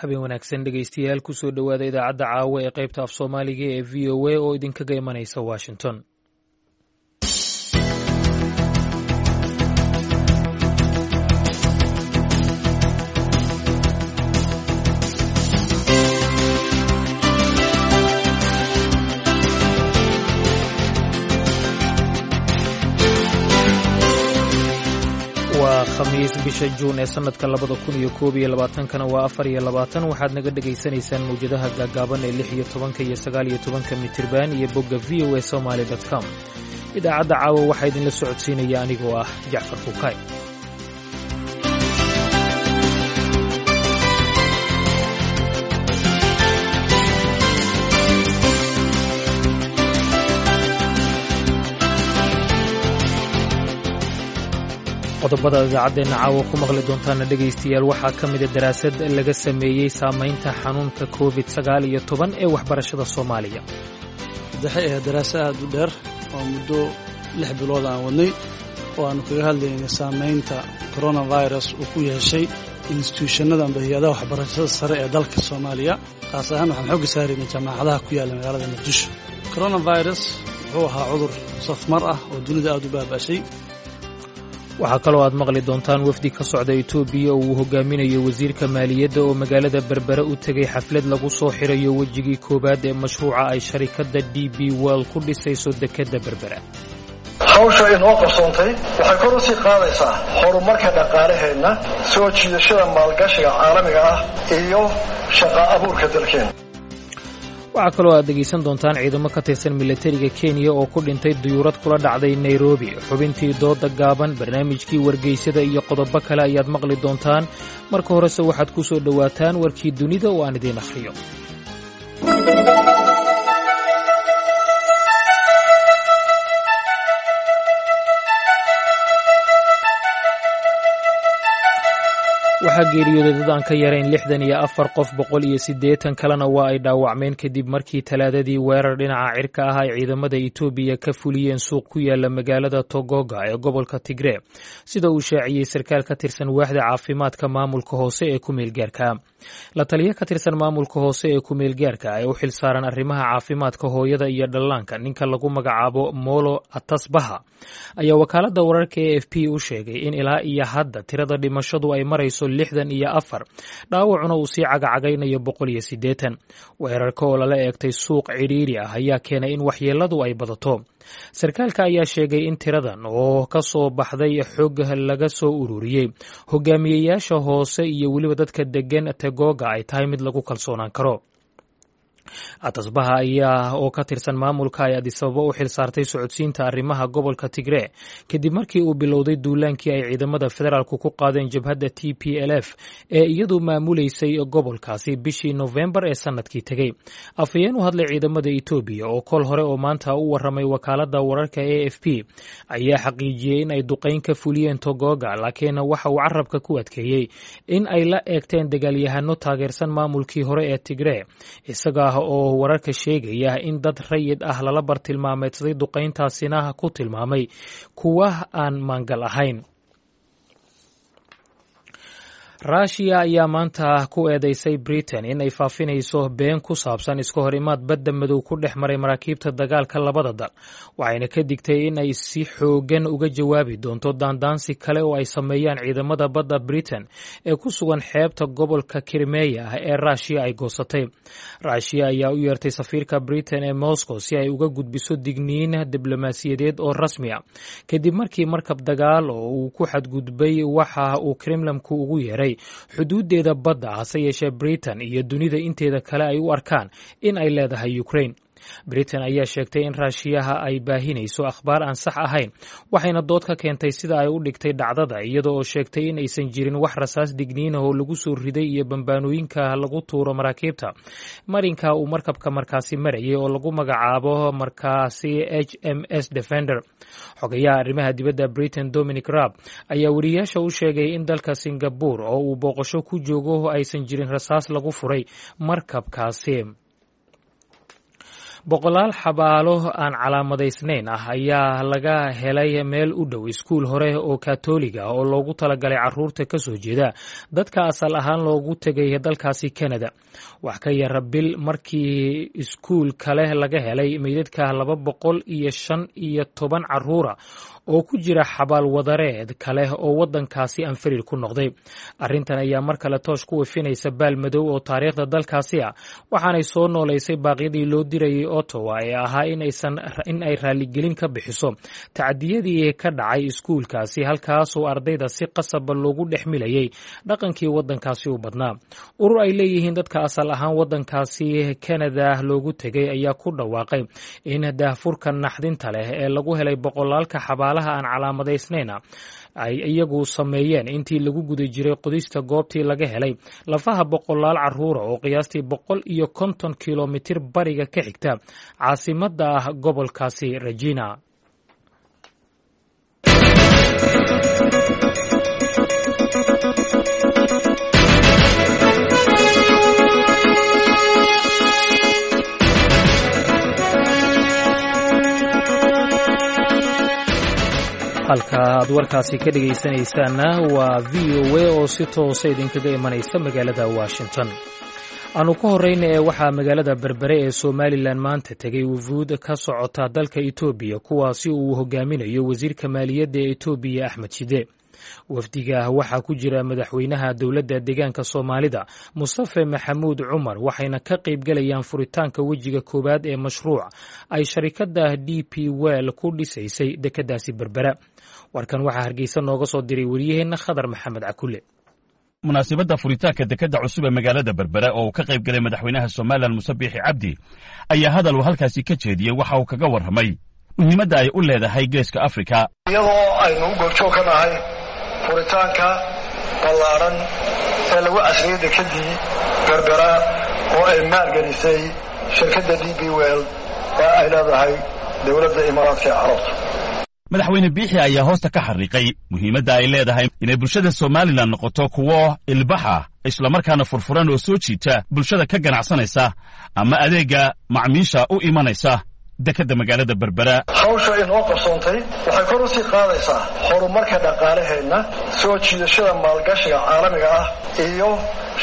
Habeen wanaagsan dhegaystayaal, kusoo dhowaada idaacadda caawa ee qaybta af Soomaaliga ee VOA oo idinkaga imanaysa Washington. Waa Khamiis, bisha Juun ee sannadka 2021-kana waa 24. Waxaad naga dhegaysanaysaan mawjadaha gaagaaban ee 16-ka iyo 19-ka mitirban iyo bogga VOA Somali com. Idaacadda caawa waxaa idinla socodsiinaya anigoo ah Jacfar Fuukay. Qodobada idaacaddeenna caawa ku maqli doontaana dhegaystayaal waxaa ka mida daraasad laga sameeyey saamaynta xanuunka COVID-19 ee waxbarashada Soomaaliya. Waxay ahayd daraasa aad u dheer oo muddo 6 bilood aan wadnay oo aanu kaga hadlaynay saamaynta coronavirus uu ku yeeshay instituushanada amba hay-adaha waxbarashada sare ee dalka Soomaaliya. Khaas ahaan waxaan xooga saaraynay jaamacadaha ku yaalla magaalada Muqdisho. Coronavirus wuxuu ahaa cudur safmar ah oo dunida aad u baaba'shay. Waxaa kaloo aad maqli doontaan wafdi ka socda Itoobiya oo uu hogaaminayo wasiirka maaliyadda oo magaalada Berbere u tegey xaflad lagu soo xirayo wejigii koowaad ee mashruuca ay sharikadda DP World ku dhisayso dekedda Berbera. Hawsha inoo qabsoontay waxay kor u sii qaadaysaa horumarka dhaqaalaheenna, soo jiidashada maalgashiga caalamiga ah iyo shaqa abuurka dalkeenna. Waxaa kaloo aad dhegaysan doontaan ciidamo ka tirsan milatariga Kenya oo ku dhintay duyuurad kula dhacday Nairobi, xubintii dooda gaaban, barnaamijkii wargeysada iyo qodobo kale ayaad maqli doontaan. Marka horese waxaad ku soo dhowaataan warkii dunida oo aan idiin akhriyo. Waxaa geeriyooday dad aan ka yarayn 64 qof, 180 kalena waa ay dhaawacmeen kadib markii Talaadadii weerar dhinaca cirka ah ay ciidamada Itoobiya ka fuliyeen suuq ku yaala magaalada Togoga ee gobolka Tigree, sida uu shaaciyey sarkaal ka tirsan waaxda caafimaadka maamulka hoose ee kumeelgaarka. La taliyo ka tirsan maamulka hoose ee kumeelgaarka ee u xilsaaran arrimaha caafimaadka hooyada iyo dhallaanka, ninka lagu magacaabo Molo Atasbaha, ayaa wakaaladda wararka AFP u sheegay in ilaa iyo hadda tirada dhimashadu ay marayso 64, dhaawacuna uu sii cagacagaynayo 180. Weerarka oo lala eegtay suuq cidhiiri ah ayaa keenay in waxyeeladu ay badato. Sarkaalka ayaa sheegay in tiradan oo ka soo baxday xog laga soo ururiyey hogaamiyeyaasha hoose iyo weliba dadka degan Tegoga ay tahay mid lagu kalsoonaan karo. Atasbaha ayaa oo ka tirsan maamulka ay Adisababo u xil saartay socodsiinta arrimaha gobolka Tigree kadib markii uu bilowday duulaankii ay ciidamada federaalku ku qaadeen jabhadda TPLF ee iyadu maamuleysay gobolkaasi bishii Nofembar ee sanadkii tegey. Afhayeen u hadlay ciidamada Itoobiya oo kol hore oo maanta u waramay wakaaladda wararka AFP ayaa xaqiijiyey in ay duqayn ka fuliyeen Togoga, laakiin waxa uu carabka ku adkeeyey in ay la eegteen dagaalyahano taageersan maamulkii hore ee Tigree, isaga oo wararka sheegaya in dad rayid ah lala bartilmaameedsaday duqayntaasina ku tilmaamay kuwa aan maangal ahayn. Ruushiya ayaa maanta ku eedeysay Britain in ay faafinayso been ku saabsan iska hor imaad badda Madow ku dhex maray maraakiibta dagaalka labada dal, waxayna ka digtay in ay si xoogan uga jawaabi doonto daandaansi kale oo ay sameeyaan ciidamada badda Britain ee ku sugan xeebta gobolka Krimeya ah ee Ruushiya ay goosatay. Ruushiya ayaa u yeertay safiirka Britain ee Moscow si ay uga gudbiso digniin diblomaasiyadeed oo rasmi ah kadib markii markab dagaal oo uu ku xadgudbay waxa uu Kremlamku ugu yeeray xuduudeeda badda, hase yeeshee Britain iyo dunida inteeda kale ay u arkaan in ay leedahay Ukraine. Britain ayaa sheegtay in Raashiyaha ay baahinayso akhbaar aan sax ahayn, waxayna dood ka keentay sida ay u dhigtay dhacdada, iyada oo sheegtay in aysan jirin wax rasaas digniinah oo lagu soo riday iyo bambaanooyinka lagu tuuro maraakiibta marinka uu markabka markaasi marayay oo lagu magacaabo markaasi HMS Defender. Xogayaha arrimaha dibadda Britain Dominic Raab ayaa weriyaasha u sheegay in dalka Singapore oo uu booqasho ku joogo aysan jirin rasaas lagu furay markabkaasi. Boqolaal xabaalo aan calaamadaysnayn ah ayaa laga helay meel u dhow iskuul hore oo katoliga oo loogu talagalay caruurta ka soo jeeda dadka asal ahaan loogu tegay dalkaasi Canada. Wax ka yara bil markii iskuul kale laga helay meydadka 215 caruura oo ku jira xabaal wadareed kale oo waddankaasi anfariir ku noqday. Arrintan ayaa mar kale toosh ku wifinaysa baal madow oo taariikhda dalkaasi ah, waxaanay soo noolaysay baaqyadii loo dirayay Ottawa ee ahaa in ay raaligelin ka bixiso tacdiyadii ka dhacay iskuulkaasi, halkaasoo ardayda si qasaba loogu dhex milayay dhaqankii waddankaasi u badnaa. Urur ay leeyihiin dadka asal ahaan waddankaasi Canada loogu tegay ayaa ku dhawaaqay in daahfurka naxdinta leh ee lagu helay boqolaalka xabaalaha aan calaamadaysnayna ay iyagu sameeyeen intii lagu guda jiray qodista goobtii laga helay lafaha boqolaal caruura oo qiyaastii 150 kilomitir bariga ka xigta caasimadda ah gobolkaasi Regina. Halka aad warkaasi ka dhegaysanaysaanna waa VOA oo si toosa idinkaga imanaysa magaalada Washington. Aanu ka horreyna ee waxaa magaalada Berbere ee Somalilan maanta tegay wufuud ka socota dalka Etoobiya, kuwaasi uu hogaaminayo wasiirka maaliyadda ee Etoobiya Axmed Shide. Wafdiga waxaa ku jira madaxweynaha dowladda deegaanka Soomaalida Mustafe Maxamuud Cumar, waxayna ka qaybgalayaan furitaanka wejiga koowaad ee mashruuc ay sharikadda DP Well ku dhisaysay dekeddaasi Berbera. Warkan waxaa Hargeysa nooga soo diray wariyaheenna Khadar Maxamed Cakule. Munaasabadda furitaanka dekedda cusub ee magaalada Berbera oo uu ka qayb galay madaxweynaha Somalilan Muse Biixi Cabdi ayaa hadal uu halkaasi ka jeediyey waxa uu kaga warramay muhiimadda ay u leedahay Geeska Afrika. Iyadoo aynu u goobjoog ka nahay furitaanka ballaaran ee lagu casriyey dekeddii Berbera oo ay maalgelisay shirkadda DP Well ee ay leedahay dowladda Imaaraadka ee Carabta. Madaxweyne Biixi ayaa hoosta ka xariiqay muhiimadda ay leedahay inay bulshada Somalilan noqoto kuwo ilbaxa, islamarkaana furfuran oo soo jiita bulshada ka ganacsanaysa ama adeegga macmiisha u imanaysa dekedda magaalada Berbera. Hawsha inoo qabsoontay waxay kor u sii qaadaysaa horumarka dhaqaalaheenna, soo jiidashada maalgashiga caalamiga ah iyo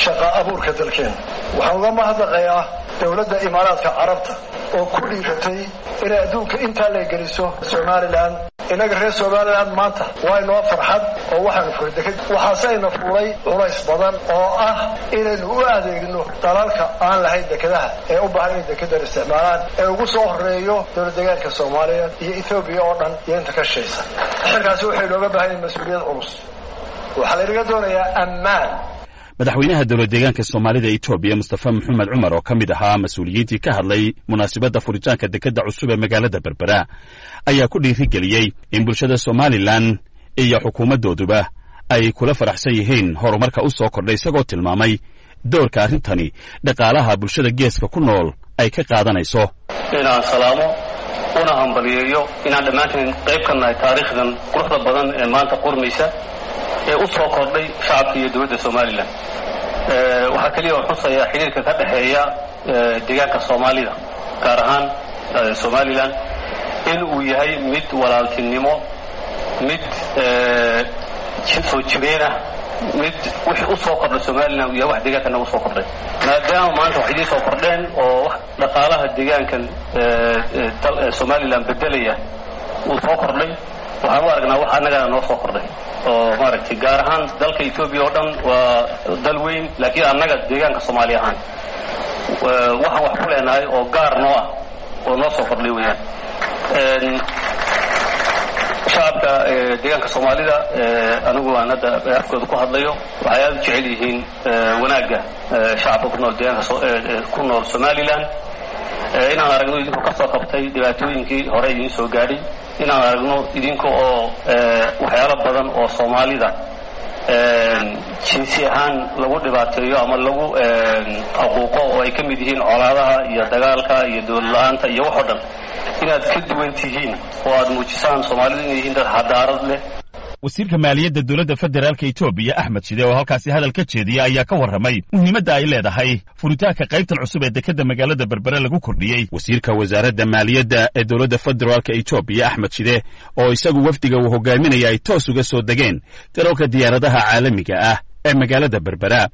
shaqa abuurka dalkeenna. Waxaan uga mahadnaqayaa dowladda Imaaraadka Carabta oo ku dhiiratay inay adduunka intaa leegeliso Somalilan. Innaga reer Somalilan maanta waa inoo farxad oo waxaanu furay deked, waxaaseyna fuulay culays badan oo ah inaynu u adeegno dalalka aan lahayn dekedaha ee u baahan inay dekedan isticmaalaan, ee ugu soo horeeyo dowlad deegaanka Soomaaliya iyo Etoobiya oo dhan iyo inta ka shaysa. Xilkaasi waxay inooga baahan yahay mas-uuliyad culus. Waxaa laynaga doonayaa ammaan. Madaxweynaha dowlad deegaanka Soomaalida Etoobiya Mustafa Maxamed Cumar oo ka mid ahaa mas-uuliyiintii ka hadlay munaasabadda furitaanka dekedda cusub ee magaalada Berbera ayaa ku dhiirigeliyey in bulshada Somalilan iyo xukuumaddooduba ay kula faraxsan yihiin horumarka u soo kordhay, isagoo tilmaamay doorka arrintani dhaqaalaha bulshada geeska ku nool ay ka qaadanayso. Inaan salaamo una hambaliyeeyo inaan dhammaanteen qayb ka nahay taariikhdan quruxda badan ee maanta qormaysa ee u soo kordhay shacabka iyo dowladda Somalilan. Waxaa keliya oo xusayaa xidhiirka ka dhexeeya deegaanka Soomaalida, gaar ahaan Somalilan, in uu yahay mid walaaltinimo, mid soo jireenah, mid wixii u soo kordhay Somalilan uu yahay wax deegaanka nagu soo kordhay, maadaama maanta wax idiin soo kordheen oo wax dhaqaalaha deegaankan Somalilan bedelaya uu soo kordhay. Waxaan u aragnaa wax annagana noo soo kordhay oo maaragtay gaar ahaan dalka Etoobiya oo dhan waa dal weyn, laakiin annaga deegaanka Soomaali ahaan waxaan wax ku leenahay oo gaar noo ah oo noo soo kordhay weeyaan. Shacabka deegaanka Soomaalida, anigu aan hadda afkooda ku hadlayo, waxay aada u jecel yihiin wanaagga shacabka ku nool deegaanka ku nool Somalilan. Inaan aragno idinkoo ka soo qabtay dhibaatooyinkii hore idiin soo gaadhay, inaan aragno idinka oo waxyaalo badan oo Soomaalida jinsi ahaan lagu dhibaateeyo ama lagu faquuqo oo ay ka mid yihiin colaadaha iyo dagaalka iyo dowlad la-aanta iyo wax oo dhan, inaad ka duwan tihiin oo aad muujisaan Soomaalidu inay yihiin dad xadaarad leh. Wasiirka maaliyadda dowladda federaalka Etoobiya, Axmed Shide, oo halkaasi hadal ka jeediya ayaa ka warramay muhiimadda ay leedahay furitaanka qaybtan cusub ee dekedda magaalada Berbere lagu kordhiyey. Wasiirka wasaaradda maaliyadda ee dowladda federaalka Etoobiya, Axmed Shide, oo isagu wafdiga uu hogaaminaya ay toos uga soo degeen garoonka diyaaradaha caalamiga ah ee magaalada Berbera,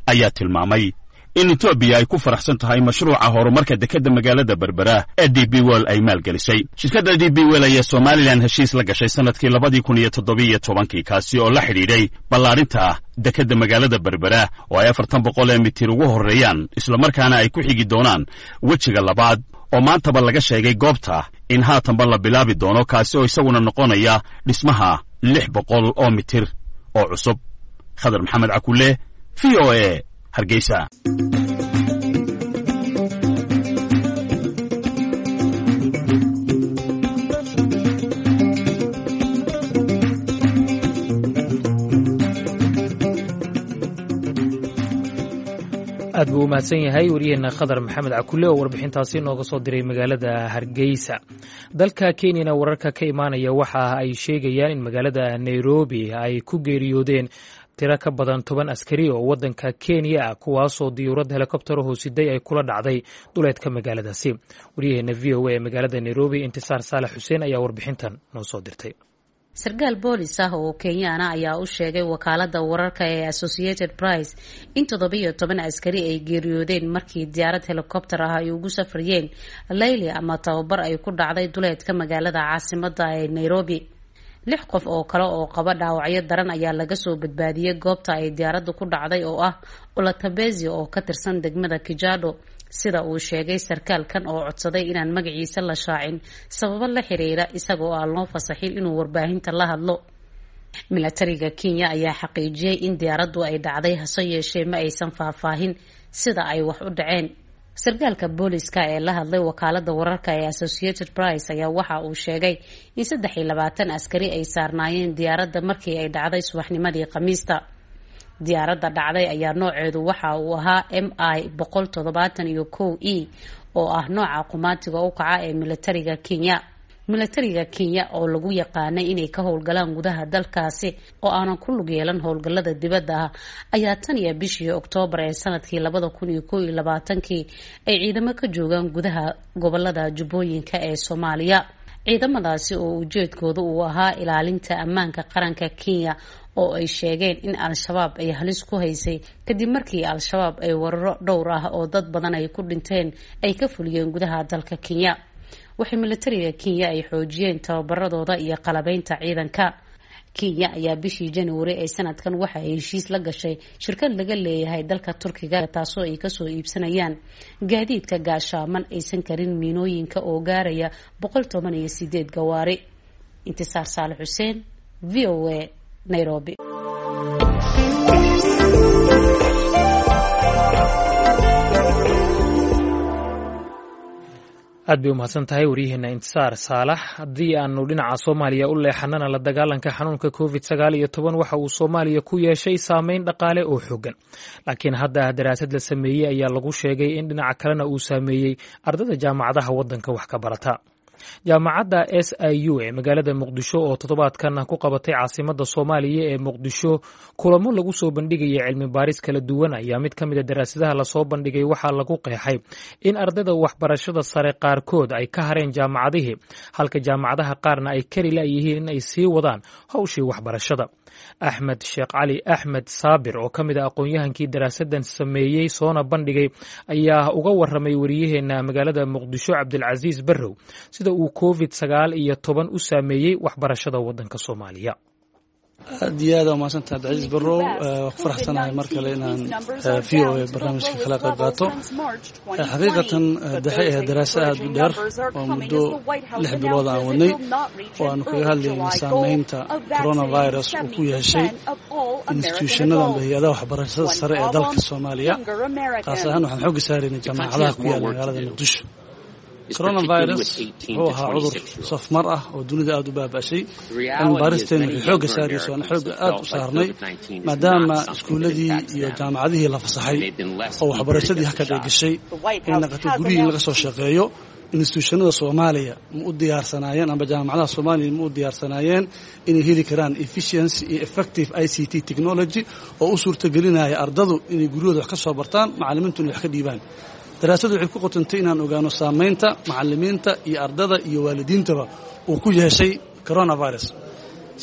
ayaa tilmaamay in Etoobiya ay ku faraxsan tahay mashruuca horumarka dekedda magaalada Berbera ee DP World ay maalgelisay. Shirkadda DP World ayaa Somalilan heshiis la gashay sannadkii 2017-kii, kaasi oo la xidhiidhay ballaarinta dekedda magaalada Berbera oo ay 440 ee mitir ugu horreeyaan, islamarkaana ay ku xigi doonaan wejiga labaad oo maantaba laga sheegay goobta in haatanba la bilaabi doono, kaasi oo isaguna noqonaya dhismaha 600 oo mitir oo cusub. Khadar Maxamed Cakule, VOA, Hargeysa. Aad buu u mahadsan yahay waryaheena Khadar Maxamed Cakule oo warbixintaasi nooga soo diray magaalada Hargeysa. Dalka Kenyana wararka ka imaanaya waxa ay sheegayaan in magaalada Nairobi ay ku geeriyoodeen tiro ka badan 10 askari oo waddanka Kenya ah, kuwaasoo diyuurad helikobtaraho siday ay kula dhacday duleedka magaaladaasi. Waryaheena VOA ee magaalada Nairobi, Intisaar Saalax Xuseen, ayaa warbixintan noo soo dirtay. Sarkaal boolis ah oo Kenyaana ayaa u sheegay wakaalada wararka ee Associated Press in 17 askari ay geeriyoodeen markii diyaarad helikobter ah ay ugu safrayeen layli ama tababar ay ku dhacday duleedka magaalada caasimada ee Nairobi. Lix qof oo kale oo qaba dhaawacyo daran ayaa laga soo badbaadiyey goobta ay diyaaraddu ku dhacday oo ah Olatabezi oo ka tirsan degmada Kijado, sida uu sheegay sarkaalkan oo codsaday inaan magaciisa la shaacin sababo la xiriira isagoo aan loo fasaxin inuu warbaahinta la hadlo. Milatariga Kenya ayaa xaqiijiyey in diyaaraddu ay dhacday, hase yeeshee ma aysan faahfaahin sida ay wax u dhaceen. Sarkaalka booliska ee la hadlay wakaalada wararka ee Associated Press ayaa waxa uu sheegay in 23 askari ay saarnaayeen diyaaradda markii ay dhacday subaxnimadii Khamiista. Diyaaradda dhacday ayaa nooceedu waxa uu ahaa MI 171 E oo ah nooca qumaatiga u kaca ee milatariga Kenya. Milatariga Kenya oo lagu yaqaanay inay ka howlgalaan gudaha dalkaasi oo aanan ku lug yeelan howlgallada dibadda ah ayaa tan iyo bishii Oktoobar ee sanadkii 2021-kii ay ciidamo ka joogaan gudaha gobolada Jubbooyinka ee Soomaaliya, ciidamadaasi oo ujeedkooda uu ahaa ilaalinta ammaanka qaranka Kenya oo ay sheegeen in Al-Shabaab ay halis ku haysay, kadib markii Al-Shabaab ay weeraro dhowr ah oo dad badan ay ku dhinteen ay ka fuliyeen gudaha dalka Kenya. Waxay milatariga Kenya ay xoojiyeen tababaradooda iyo qalabeynta ciidanka. Kenya ayaa bishii January ee sanadkan waxa ay heshiis la gashay shirkad laga leeyahay dalka Turkiga, taasoo ay kasoo iibsanayaan gaadiidka gaashaaman aysan karin miinooyinka oo gaaraya 118 gawaari. Intisaar Saale Xuseen, VOA, Nairobi. Aad bay u mahadsan tahay waryaheena Intisaar Saalax. Haddii aanu dhinaca Soomaaliya u leexanana, la dagaalanka xanuunka COVID-19 waxa uu Soomaaliya ku yeeshay saameyn dhaqaale oo xoogan, laakiin hadda daraasad la sameeyey ayaa lagu sheegay in dhinaca kalena uu saameeyey ardada jaamacadaha waddanka wax ka barata. Jaamacadda SIU ee magaalada Muqdisho oo toddobaadkan ku qabatay caasimadda Soomaaliya ee Muqdisho kulamo lagu soo bandhigaya cilmi baaris kala duwan ayaa mid ka mid a daraasadaha lasoo bandhigay waxaa lagu qeexay in ardayda waxbarashada sare qaarkood ay ka hareen jaamacadihii, halka jaamacadaha qaarna ay kari la'yihiin in ay sii wadaan howshii waxbarashada. Axmed Sheekh Cali Axmed Saabir oo ka mid a aqoon-yahankii daraasadan sameeyey soona bandhigay ayaa uga waramay wariyaheena magaalada Muqdisho, Cabdilcasiis Barrow, sida uu COVID-19 u saameeyey waxbarashada waddanka Soomaaliya. Aad iyo aad aa umahadsantaha, Cabdicasiis Barrow. Waa ku faraxsanahay mar kale inaan VOA barnaamijka kala qayb qaato. Xaqiiqatan waxay ahayd daraasa aad u dheer oo muddo 6 bilood aan wadnay oo aanu kaga hadlaynay saameynta coronavirus uu ku yeeshay institutionada amba hay-adaha waxbarashada sare ee dalka Soomaaliya. Qaas ahaan waxaan xoogga saaraynay jaamacadaha ku yaala magaalada Muqdisho. Coronavirus wuxuu ahaa cudur safmar ah oo dunida aada u baaba'shay. Cilmi baaristeena waxay xoogga saarayso aan xoogga aada u saarnay, maadaama iskuulladii iyo jaamacadihii la fasaxay oo waxbarashadii hakad ay gashay, ay naqatay gurihii in laga soo shaqeeyo. Institutionada Soomaaliya ma u diyaarsanaayeen amba jaamacadaha Soomaaliya ma u diyaarsanaayeen inay heli karaan efficiency iyo effective ICT technology oo u suurtagelinaya ardadu inay guryahooda wax ka soo bartaan, macallimiintu inay wax ka dhiibaan? Daraasadu waxay ku qotantay inaan ogaano saamaynta macallimiinta iyo ardada iyo waalidiintaba uu ku yeeshay coronavirus.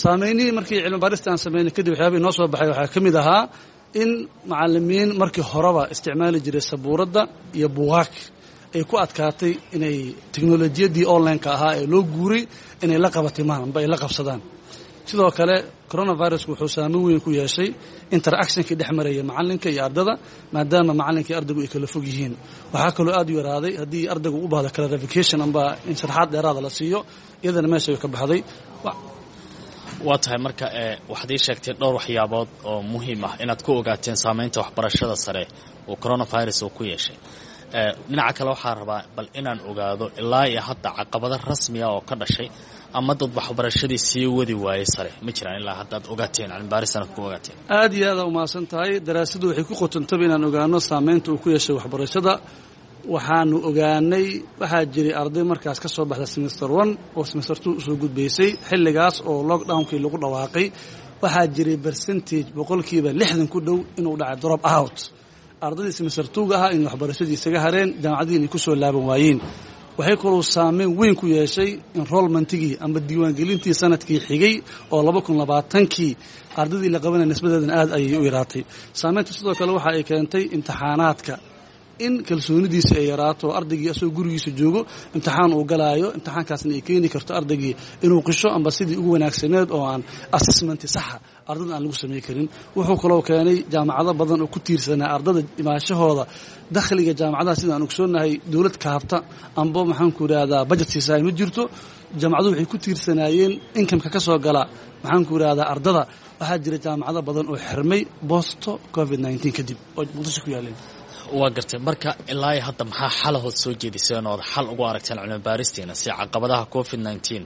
Saameynihii markii cilmi baarista aan samaynay kadib, waxyaabihii noo soo baxay waxaa ka mid ahaa in macallimiin markii horeba isticmaali jiray sabuuradda iyo buugaag ay ku adkaatay inay teknolojiyaddii online-ka ahaa ee loo guuray inay la qabatimaan amba ay la qabsadaan. Sidoo kale, coronavirusku wuxuu saameyn weyn ku yeeshay interactionkii dhex maraya macallinka iyo ardada, maadaama macallinka iyo ardaygu ay kala fog yihiin. Waxaa kaloo aad u yaraaday haddii ardaygu u baahdo clarification amba in sharxaad dheeraada la siiyo, iyadana meesha way ka baxday. Waa tahay. Marka waxaad ii sheegtay dhowr waxyaabood oo muhiim ah inaad ku ogaateen saameynta waxbarashada sare oo coronavirus uu ku yeeshay. Dhinaca kale, waxaa rabaa bal inaan ogaado ilaa iyo hadda caqabado rasmiya oo ka dhashay ama dad waxbarashadii sii wadi waayey sare ma jiraan ilaa haddaad ogaateen, cilmibaarisana ku ogaateen? Aad iyo aada umahadsan tahay. Daraasadu waxay ku qotantaba inaan ogaano saameynta uu ku yeeshay waxbarashada. Waxaanu ogaanay waxaa jiray arday markaas ka soo baxda semester 1 oo semester 2 usoo gudbaysay xilligaas oo lockdownkii lagu dhawaaqay. Waxaa jiray percentage 60% ku dhow inuu dhacay drop out, ardaydii semester 2-ga ahaa inay waxbarashadii isaga hareen, jaamacadihii inay ku soo laaban waayeen. Waxay kaloo saameyn weyn ku yeeshay enrollmentigii amba diiwaangelintii sanadkii xigay oo 2020kii ardaydii la qabanaya, nisbadeedana aad ayay u yaraatay saameynta. Sidoo kale, waxa ay keentay imtixaanaadka in kalsoonidiisa ay yaraato, ardaygii asagoo gurigiisa joogo imtixaan uu galaayo, imtixaankaasna ay keeni karto ardaygii inuu qisho amba sidii ugu wanaagsaneed oo aan assessment saxa ardada aan lagu samey karin. Wuxuu kaloo keenay jaamacado badan oo ku tiirsanaa ardada imaashahooda dakhliga jaamacadaha. Sidaan ogsoonahay, dowlad kaabta amba, maxaanku idhahdaa, budget siisaay ma jirto. Jaamacaduhu waxay ku tiirsanaayeen incomeka ka soo gala, maxaanku idhahdaa, ardada. Waxaa jira jaamacado badan oo xirmay post COVID-19 kadib oo Muqdisho ku yaaleen. Waa gartay. Marka ilaa iyo hadda maxaa xalahood soo jeediseen ood xal ugu aragteen cilmi baaristiina si caqabadaha COVID-19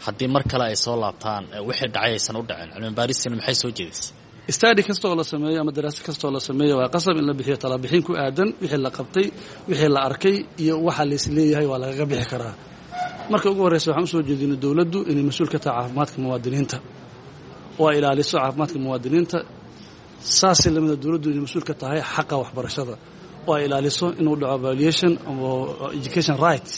haddii mar kale ay soo laabtaan wixii dhacay aysan u dhacin? Cilmi baaristiina maxay soo jeedisay? Study kasta oo la sameeyo ama daraasad kasta oo la sameeyo, waa qasab in la bixiyo talabixin ku aadan wixii la qabtay, wixii la arkay iyo waxa laisleeyahay waa lagaga bixi karaa. Marka ugu horreysa, waxaan usoo jeedinay dowladdu inay mas-uul ka tahay caafimaadka muwaadiniinta oo ay ilaaliso caafimaadka muwaadiniinta. Saasay lamida, dowladdu inay mas-uul ka tahay xaqa waxbarashada oo ay ilaaliso inuu dhaco violation ama education rights.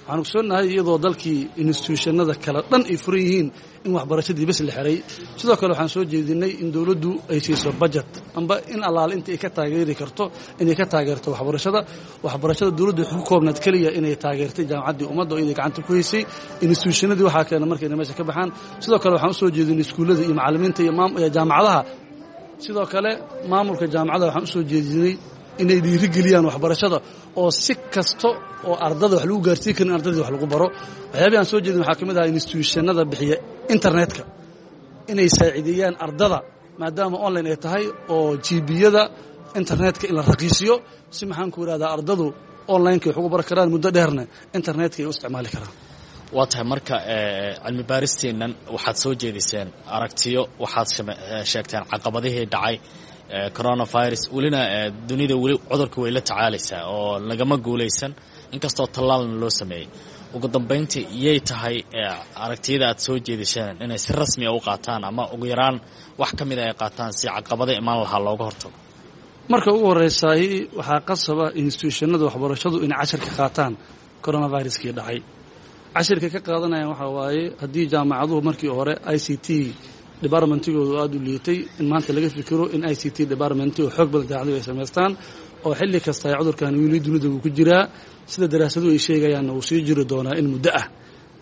Waxaan ogsoonahay iyadoo dalkii institutionada kale dhan ay furan yihiin in waxbarashadii bes la xiray. Sidoo kale, waxaan soo jeedinay in dowladdu ay siiso budget amba in allaale inta ay ka taageeri karto inay ka taageerto waxbarashada. Waxbarashada dowladdu waxay ku koobnaad keliya inay taageertay Jaamacaddii Ummadda oo inay gacanta ku haysay. Institutionadii waxaa keena markay meesha ka baxaan. Sidoo kale, waxaan usoo jeedinay iskuullada iyo macallimiinta iyo jaamacadaha. Sidoo kale, maamulka jaamacadda waxaan usoo jeedinay inay dhiirigeliyaan waxbarashada oo si kasta oo ardada wax lagu gaarsiin karin ardadii wax lagu baro. Waxyaabihi aan soo jeedin waxaa ka mid ahaa institutionada bixiya internetka inay saaciideeyaan ardada, maadaama online ay tahay, oo GB-yada internetka in la raqiisiyo si, maxaan ku idhahdaa, ardadu onlineka wax ugu baran karaan, muddo dheerna internetka ay u isticmaali karaan. Waa tahay. Marka cilmi baaristeennan waxaad soo jeediseen aragtiyo, waxaad sheegteen caqabadihii dhacay coronavirus. Welina dunida weli cudurka way la tacaalaysaa oo lagama guulaysan, inkastoo tallaalna loo sameeyey. Ugu dambayntii, yay tahay aragtiyada aad soo jeediseen inay si rasmiya u qaataan ama ugu yaraan wax ka mida ay qaataan si caqabado imaan lahaa looga hortago? Marka ugu horreysaay, waxaa qasaba institutionada waxbarashadu inay cashirka qaataan coronaviruskii dhacay. Cashirka ka qaadanayaan waxaa waaye haddii jaamacaduhu markii hore ICT departmentigoodu aada u liitay, in maanta laga fikiro in ICT department oo xoog badan jaamacaduhu ay samaystaan oo xilli kasta ay cudurkan wili dunida uu ku jiraa, sida daraasaduhu ay sheegayaanna uu sii jiri doonaa in muddo ah.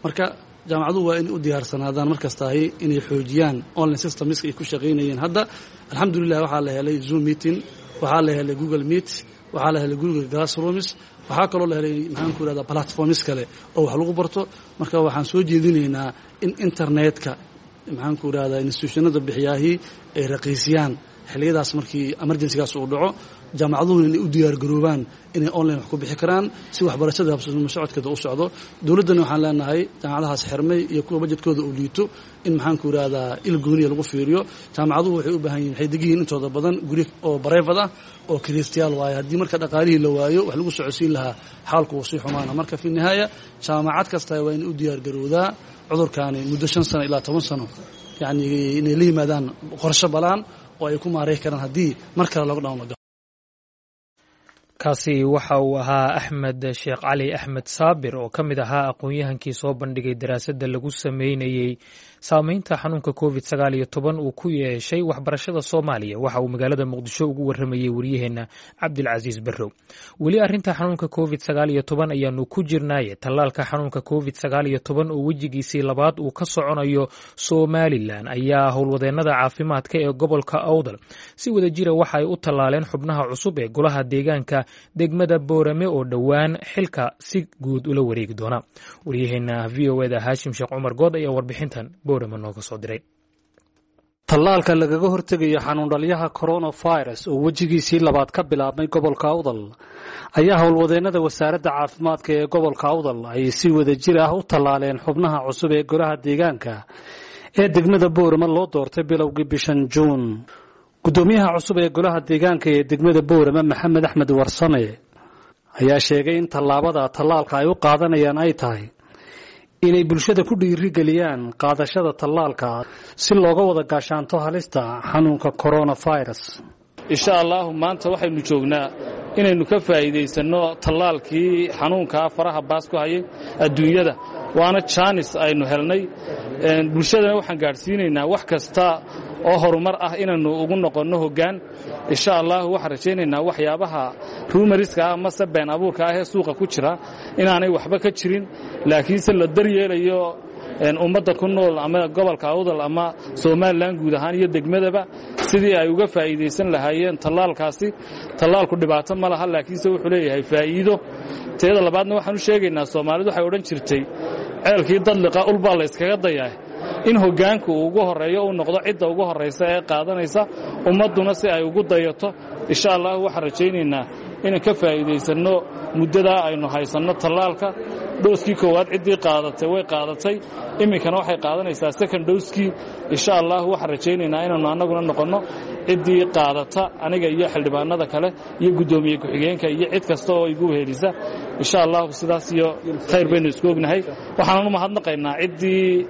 Marka jaamacaduhu waa inay u diyaarsanaadaan markastaahi inay xoojiyaan online systemska ay ku shaqaynayeen. Hadda, alxamdulilah, waxaa la helay Zoom meeting, waxaa la helay Google Meet, waxaa la helay Google Classrooms, waxaa kaloo la helay, maxaan ku ihahdaa, platforms kale oo wax lagu barto. Marka waxaan soo jeedinaynaa in internetka, maxaan ku idhahdaa, institutionada bixiyaahii ay raqiisiyaan xilliyadaas markii emergencygaas uu dhaco. Jaamacaduhuna inay u diyaargaroobaan inay online wax ku bixi karaan si waxbarashada habsama socodkeeda u socdo. Dowladdana waxaan leenahay jaamacadahaas xirmay iyo kuwa bajedkooda uu liito in, maxaanku yidhahdaa, il gooniya lagu fiiriyo. Jaamacaduhu waxay u baahan yihin, waxay degan yihiin intooda badan guryo oo private ah oo kiraystayaal waayo. Haddii marka dhaqaalihii la waayo wax lagu socodsiin lahaa, xaalku wuu sii xumaana. Marka fi nihaaya jaamacad kasta waa inay u diyaargarowdaa cudurkaani muddo 5 sano ilaa 10 sano, yacni inay la yimaadaan qorshe balaan oo ay ku maaray karaan haddii mar kale lockdown la galo. Kaasi waxa uu ahaa Axmed Sheekh Cali Axmed Saabir oo ka mid ahaa aqoon-yahankii soo bandhigay daraasadda lagu sameynayey saameynta xanuunka COVID-19 uu ku yeeshay waxbarashada Soomaaliya. Waxa uu magaalada Muqdisho ugu waramayey waryaheena Cabdilcasiis Barrow. Weli arrinta xanuunka COVID-19 ayaanu ku jirnaaye, tallaalka xanuunka COVID-19 oo wejigiisii labaad uu ka soconayo Somalilan ayaa howlwadeennada caafimaadka ee gobolka Awdal si wada jira waxa ay u tallaaleen xubnaha cusub ee golaha deegaanka degmada Boorame oo dhowaan xilka si guud ula wareegi doona. Waryaheena VOA-da Haashim Sheekh Cumar Good ayaa warbixintan Boorame nooga soo diray. Tallaalka lagaga hortegayo xanuundhalyaha coronavirus oo wejigiisii labaad ka bilaabmay gobolka Awdal ayaa howlwadeennada wasaaradda caafimaadka ee gobolka Awdal ay si wada jir ah u tallaaleen xubnaha cusub ee golaha deegaanka ee degmada Boorama loo doortay bilowgii bishan Juun. Guddoomiyaha cusub ee golaha deegaanka ee degmada Boorama, Maxamed Axmed Warsame, ayaa sheegay in tallaabada tallaalka ay u qaadanayaan ay tahay inay bulshada ku dhiirigeliyaan qaadashada tallaalka si looga wada gaashaanto halista xanuunka coronavirus. Insha Allahu maanta waxaynu joognaa inaynu ka faa'iidaysanno tallaalkii xanuunkaa faraha baas ku hayay adduunyada, waana jaanis aynu helnay. Bulshadana waxaan gaadhsiinaynaa wax kasta oo horumar ah inaynu ugu noqonno hoggaan. Insha Allahu waxaan rajaynaynaa waxyaabaha rumours-ka ah mase been abuurka ah ee suuqa ku jira inaanay waxba ka jirin, laakiinse la daryeelayo ummadda ku nool ama gobolka Awdal ama Somalilan guud ahaan iyo degmadaba sidii ay uga faa'iidaysan lahaayeen tallaalkaasi. Tallaalku dhibaato ma laha, laakiinse wuxuu leeyahay faa'iido. Teeda labaadna waxaan u sheegaynaa, Soomaalidu waxay odhan jirtay ceelkii dadliqa ulbaa la yskaga dayaa, in hoggaanku uu ugu horreeyo, uu noqdo cidda ugu horraysa ee qaadanaysa, ummadduna si ay ugu dayato. Insha Allahu waxaan rajaynaynaa inaan ka faa'iidaysanno muddadaa aynu haysanno tallaalka. Dose-kii koowaad ciddii qaadatay way qaadatay, iminkana waxay qaadanaysaa second dose-kii. Insha Allahu waxaan rajaynaynaa inaannu annaguna noqonno ciddii qaadata, aniga iyo xildhibaanada kale iyo guddoomiye ku-xigeenka iyo cid kasta oo igu wehelisa. Insha Allahu sidaas iyo khayr baynu isku ognahay. Waxaanan u mahadnaqaynaa ciddii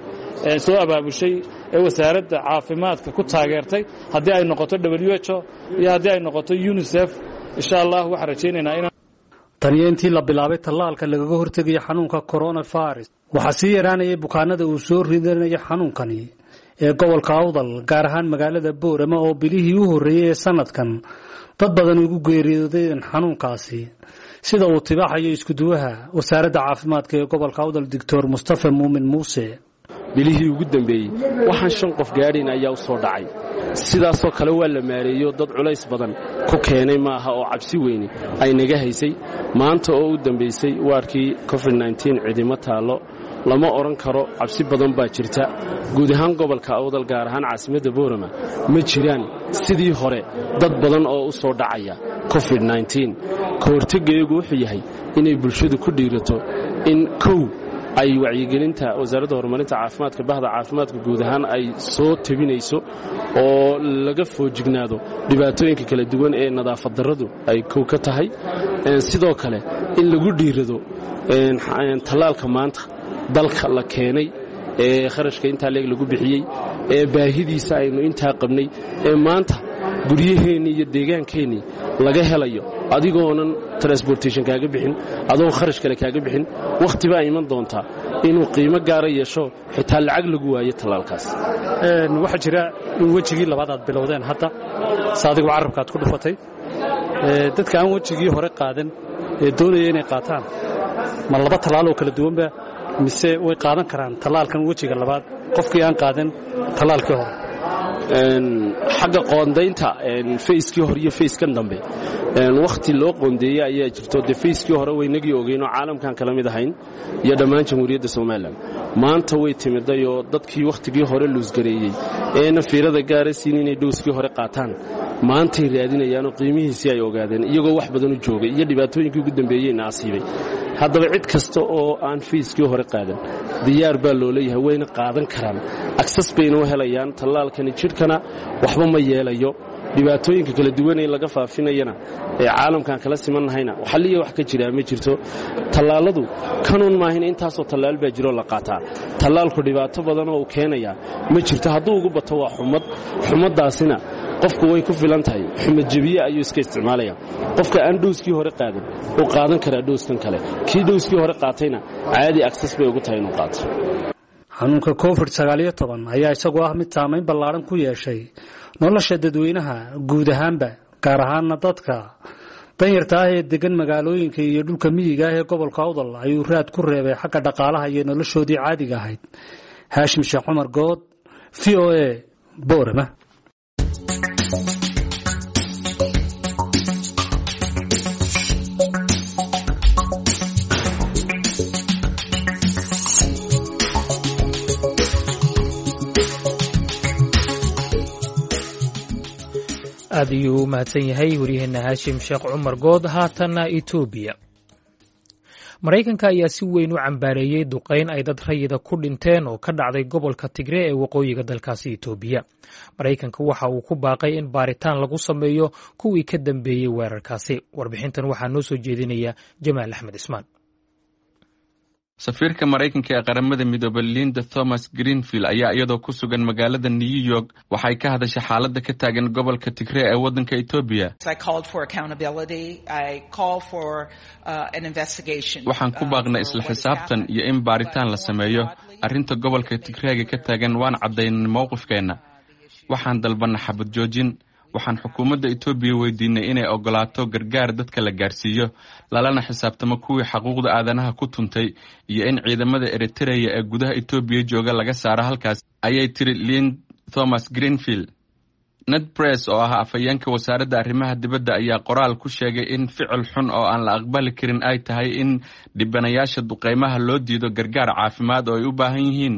soo abaabushay ee wasaaradda caafimaadka ku taageertay, haddii ay noqoto WHO iyo haddii ay noqoto UNICEF. Insha Allah waxaan rajaynaynaa inaan Taniyo intii la bilaabay tallaalka lagaga hortegayo xanuunka coronavirus, waxaa sii yaraanayay bukaanada uu soo ridanayo xanuunkani ee gobolka Awdal, gaar ahaan magaalada Boorama oo bilihii u horreeyey ee sanadkan dad badan ugu geeriyoodeen xanuunkaasi, sida uu tibaaxayo iskuduwaha wasaaradda caafimaadka ee gobolka Awdal, Doctor Mustafa Muumin Muuse. Bilihii ugu dambeeyey waxaan shan qof gaadhayn ayaa u soo dhacay. Sidaasoo kale waa la maareeyo, dad culays badan ku keenay maaha oo cabsi weyni ay naga haysay. Maanta oo u dambaysay waarkii COVID cidima taallo, lama odhan karo cabsi badan baa jirta. Guud ahaan gobolka Awdal, gaar ahaan caasimadda Boorama, ma jiraan sidii hore dad badan oo u soo dhacaya COVID. Ka hortegayagu wuxuu yahay inay bulshadu ku dhiirato in kow ay wacyigelinta wasaaradda horumarinta caafimaadka, bahda caafimaadka guud ahaan ay soo tebinayso oo laga foojignaado dhibaatooyinka kala duwan ee nadaafad darradu ay kow ka tahay. Sidoo kale in lagu dhiirado tallaalka maanta dalka la keenay ee kharashka intaa leeg lagu bixiyey ee baahidiisa aynu intaa qabnay ee maanta guryaheennii iyo deegaankeennii laga helayo, adigoonan transportation kaaga bixin, adoon kharash kale kaaga bixin. Wakhti baa iman doontaa inuu qiimo gaara yeesho, xitaa lacag lagu waayo tallaalkaas. Waxaa jira in wejigii labaad aad bilowdeen hadda, se adigu carabka aad ku dhufatay. Dadka aan wejigii hore qaadan ee doonaya inay qaataan, ma laba tallaal oo kala duwanba mise way qaadan karaan tallaalkan wejiga labaad qofkii aan qaadan tallaalkii hore? Xagga qoondaynta phase-kii hore iyo phase-kan dambe wakhti loo qoondeeyey ayaa jirto. Dee phase-kii hore waynagii ogeyn oo caalamkan kala mid ahayn iyo dhammaan Jamhuuriyadda Somalilan. Maanta way timiday oo dadkii wakhtigii hore luusgareeyey eena fiirada gaara siin inay dose-kii hore qaataan. Maantay raadinayaanoo qiimihiisii ay ogaadeen iyagoo wax badan u joogay iyo dhibaatooyinkii ugu dambeeyeyna asiibay. Haddaba cid kasta oo aan fiiskii hore qaadan diyaar baa loo leeyahay, wayna qaadan karaan, agsas bayna u helayaan. Tallaalkani jidhkana waxba ma yeelayo, dhibaatooyinka kala duwan ee laga faafinayana ee caalamkaan kala simannahayna waxaliya wax ka jiraa ma jirto. Tallaaladu kanuun maahina, intaasoo tallaal baa jiroo la qaataa. Tallaalku dhibaato badanoo uu keenayaa ma jirto. Hadduu ugu bato waa xumad, xumaddaasina qofku way ku filan tahay, xumad jebiye ayuu iska isticmaalaya. Qofka aan dhowskii hore qaadan uu qaadan karaa dhowskan kale, kii dhowskii hore qaatayna caadi agsas bay ugu tahay inuu qaato. Xanuunka COVID-19 ayaa isagoo ah mid saamayn ballaaran ku yeeshay nolosha dadweynaha guud ahaanba, gaar ahaana dadka danyarta ah ee degan magaalooyinka iyo dhulka miyiga ah ee gobolka Awdal ayuu raad ku reebay xagga dhaqaalaha iyo noloshoodii caadiga ahayd. Haashim Sheekh Cumar Good, VOA, Boorama. Aad ayuu u mahadsan yahay waryaheena Haashim Sheekh Cumar Good. Haatanna Etoobiya. Maraykanka ayaa si weyn u cambaareeyey duqayn ay dad rayida ku dhinteen oo ka dhacday gobolka Tigre ee waqooyiga dalkaasi Etoobiya. Maraykanka waxa uu ku baaqay in baaritaan lagu sameeyo kuwii ka dambeeyey weerarkaasi. Warbixintan waxaa noo soo jeedinaya Jamaal Axmed Ismaan. Safiirka Maraykanka ee Qaramada Midoobay Linda Thomas Greenfield ayaa iyadoo ku sugan magaalada New York waxay ka hadashay xaaladda ka taagan gobolka Tigree ee waddanka Etoobiya. Waxaan ku baaqnay isla xisaabtan iyo in baaritaan la sameeyo arrinta gobolka Tigreega ka taagan. Waan caddaynay mowqifkeenna, waxaan dalbanna xabad joojin. Waxaan xukuumadda Etoobiya weydiinay inay ogolaato gargaar dadka la gaarsiiyo, lalana xisaabtamo kuwii xaquuqda aadanaha ku tuntay, iyo in ciidamada Eritereya ee gudaha Etoobiya jooga laga saaro halkaas, ayay tiri Lind Thomas Greenfield. Ned Press oo ah afhayeenka wasaaradda arrimaha dibadda ayaa qoraal ku sheegay in ficil xun oo aan la aqbali karin ay tahay in dhibanayaasha duqeymaha loo diido gargaar caafimaad oo ay u baahan yihiin.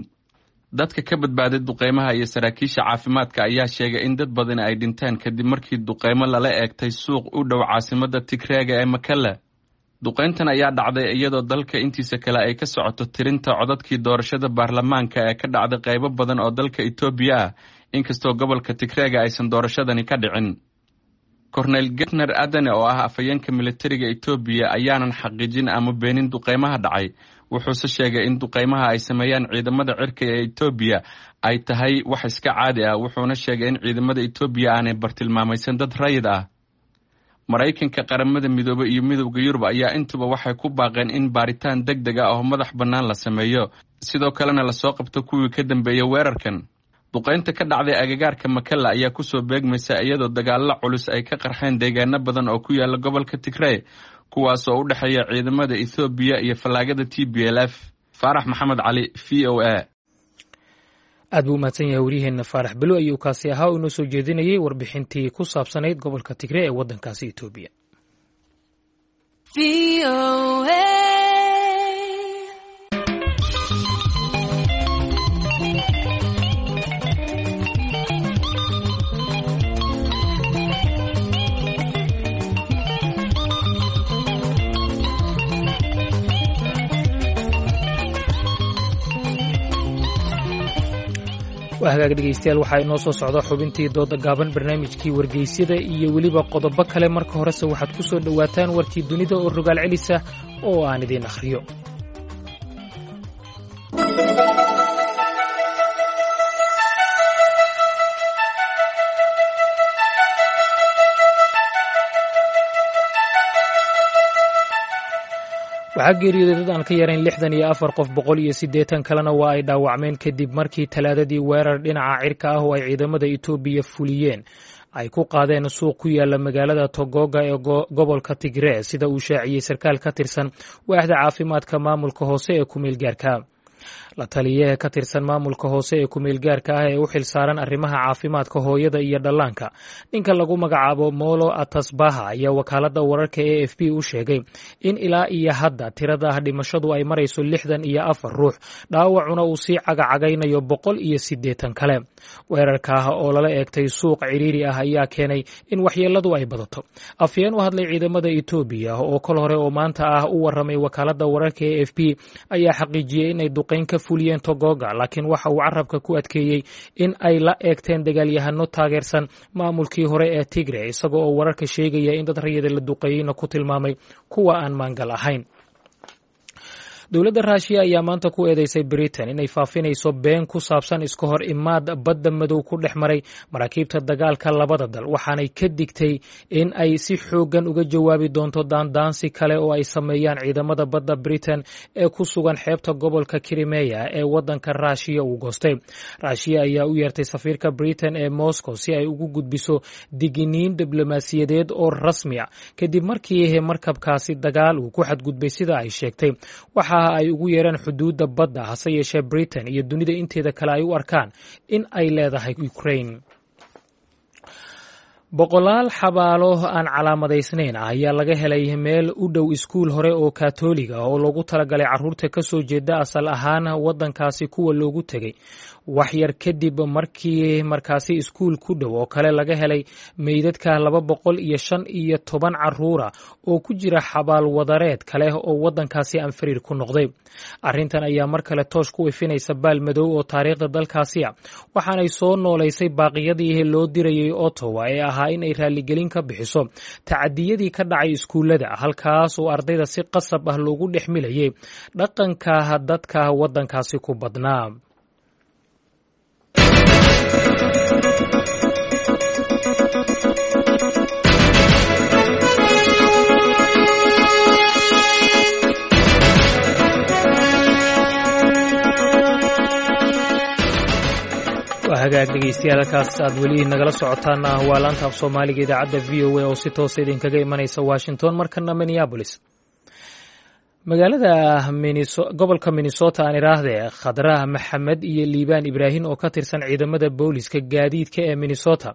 Dadka ka badbaaday duqeymaha iyo saraakiisha caafimaadka ayaa sheegay in dad badani ay dhinteen kadib markii duqeymo lala eegtay suuq u dhow caasimadda Tigreega ee Makale. Duqeyntan ayaa dhacday iyadoo dalka intiisa kale ay ka socoto tirinta codadkii doorashada baarlamaanka ee ka dhacday qaybo badan oo dalka Etoobiya ah, inkastoo gobolka Tigreega aysan doorashadani ka dhicin. Korneyl Getner Adane oo ah afhayeenka militariga Etoobiya ayaanan xaqiijin ama beenin duqeymaha dhacay, wuxuuse sheegay in duqeymaha ay sameeyaan ciidamada cirka ee Etoobiya ay tahay wax iska caadi ah, wuxuuna sheegay in ciidamada Etoobiya aanay bartilmaamaysan dad rayid ah. Maraykanka, Qaramada Midoobey iyo Midowda Yurub ayaa intuba waxay ku baaqeen in baaritaan deg deg ah oo madax bannaan la sameeyo, sidoo kalena lasoo qabto kuwii ka dambeeya weerarkan. Duqeynta ka dhacday agagaarka Makalla ayaa kusoo beegmaysa iyadoo dagaallo culus ay ka qarxeen deegaano badan oo ku yaala gobolka Tigrey, kuwaas oo u dhexeeya ciidamada Ethoobiya iyo fallaagada TPLF. Faarax Maxamed Cali, VOA. Aad buu umahadsan yahay waryaheena Faarax Belo ayuu kaasi ahaa oo inoo soo jeedinayay warbixintii ku saabsanayd gobolka Tigre ee waddankaasi Etoobiya. Waa hagaag dhegeystayaal, waxaa inoo soo socda xubintii dooda gaaban, barnaamijkii wargeysyada iyo weliba qodobo kale. Marka horese waxaad ku soo dhowaataan warkii dunida oo rogaal celisa oo aan idiin akhriyo. Waxaa geeriyooday dad aan ka yarayn 64 qof, 180 kalena waa ay dhaawacmeen kadib markii Talaadadii weerar dhinaca cirka ah oo ay ciidamada Etoobiya fuliyeen ay ku qaadeen suuq ku yaala magaalada Togoga ee gobolka Tigree, sida uu shaaciyey sarkaal ka tirsan waaxda caafimaadka maamulka hoose ee kumeel gaarka. La taliyaha ka tirsan maamulka hoose ee kumeelgaarka ah ee u xilsaaran arrimaha caafimaadka hooyada iyo dhallaanka, ninka lagu magacaabo Molo Atasbaha, ayaa wakaaladda wararka AFP u sheegay in ilaa iyo hadda tirada dhimashadu ay marayso 64 ruux, dhaawacuna uu sii cagacagaynayo 180 kale. Weerarka oo lala eegtay suuq ciriiri ah ayaa keenay in waxyeeladu ay badato. Afyeen u hadlay ciidamada Etoobiya oo kol hore oo maanta ah u waramay wakaaladda wararka AFP ayaa xaqiijiyey inay duqeyn ka fuliyeen Togoga, laakiin waxa uu carabka ku adkeeyey in ay la eegteen dagaalyahano taageersan maamulkii hore ee Tigre, isaga oo wararka sheegaya in dad rayida la duqeeyeyna ku tilmaamay kuwa aan maangal ahayn. Dowladda Raashiya ayaa maanta ku eedeysay Britain inay faafinayso been ku saabsan iska hor imaad badda Madow ku dhex maray maraakiibta dagaalka labada dal, waxaanay ka digtay in ay si xooggan uga jawaabi doonto daandaansi kale oo ay sameeyaan ciidamada badda Britain ee ku sugan xeebta gobolka Kirimeya ee wadanka Raashiya uu goostay. Raashiya ayaa u yeertay safiirka Britain ee Moscow si ay ugu gudbiso diginiin diblomaasiyadeed oo rasmi a, kadib markii markabkaasi dagaal uu ku xadgudbay, sida ay sheegtay, waxa ay ugu yeeraan xuduudda badda, hase yeeshee Britain iyo dunida inteeda kale ay u arkaan in ay leedahay Ukraine. Boqolaal xabaalo aan calaamadaysnayn ah ayaa laga helay meel u dhow iskuul hore oo Katoliga oo loogu talagalay carruurta ka soo jeeda asal ahaan waddankaasi kuwa loogu tegey, wax yar kadib markii markaasi iskuul ku dhow oo kale laga helay meydadka 215 carruura oo ku jira xabaal wadareed kale oo waddankaasi anfariir ku noqday. Arrintan ayaa mar kale toosh ku ifinaysa baal madow oo taariikhda dalkaasi ah, waxaanay soo noolaysay baaqiyadii loo dirayay Ottawa ee ahaa in ay raaligelin ka bixiso tacadiyadii ka dhacay iskuullada, halkaas oo ardayda si qasab ah loogu dhex milayay dhaqanka dadka waddankaasi ku badnaa. Hagaag dhegeystayaal, halkaas aad weli nagala socotaan waa laanta af Soomaaliga idaacadda VOA oo si toosa idinkaga imanaysa Washington. Markana Minneapolis, magaalada gobolka Minnesota aan idhaahdee, Khadrah Maxamed iyo Liibaan Ibraahim oo ka tirsan ciidamada booliska gaadiidka ee Minnesota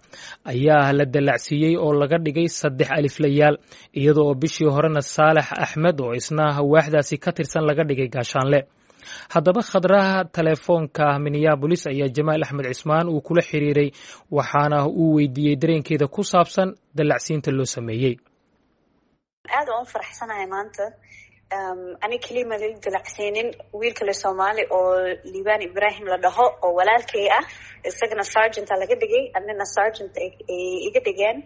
ayaa la dallacsiiyey oo laga dhigay saddex aliflayaal, iyada oo bishii horena Saalax Axmed oo isna waaxdaasi ka tirsan laga dhigay gaashaanle. Haddaba Khadraha telefoonka Minneabolis ayaa Jamaal Axmed Cismaan uu kula xiriiray, waxaana uu weydiiyey dareenkeeda ku saabsan dallacsiinta loo sameeyey. Aad waan u faraxsanahay maanta. Ani keliya ma lala dalacsiinin, wiil kale Soomaali oo Liibaan Ibraahim la dhaho oo walaalkay ah, isagana sergeant a laga dhigay, anina sergeant ay iga dhigeen.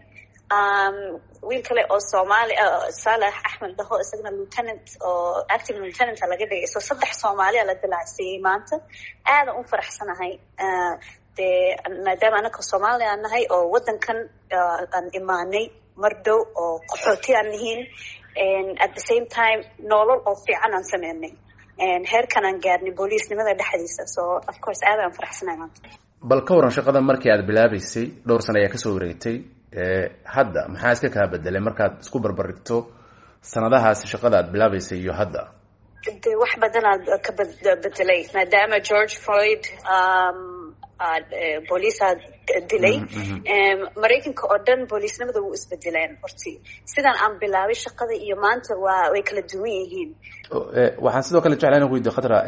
Wiil kale oo Soomaali, Saalax Axmed dhaho, isagana lieutenant oo acting lieutenant a laga dhigay. So saddex Soomaali a la dalacsiiyey maanta. Aadan u faraxsanahay, dee maadaama anaka Soomaali aan nahay oo waddankan aan imaanay mar dhow oo qaxooti aan nihiin, at the same time nolol oo fiican aan sameynay, heerkan aan gaarnay booliisnimada dhexdiisa. So of course aad aan faraxsanahay maanta. Bal ka waran shaqada markii aad bilaabaysay, dhowr sano ayaa kasoo wareegtay hadda, maxaa iska kaa bedelay markaad isku barbarigto sanadahaasi shaqada aad bilaabaysay iyo hadda? De wax badanaa ka bedelay, maadaama George Floyd booliisaa dilay. Maraykanka oo dhan booliisnimada wuu isbedeleen horti. Sidaan aan bilaabay shaqada iyo maanta waa way kala duwan yihiin. Waxaan sidoo kale jeclaa inaan ku weydiyo Khatra,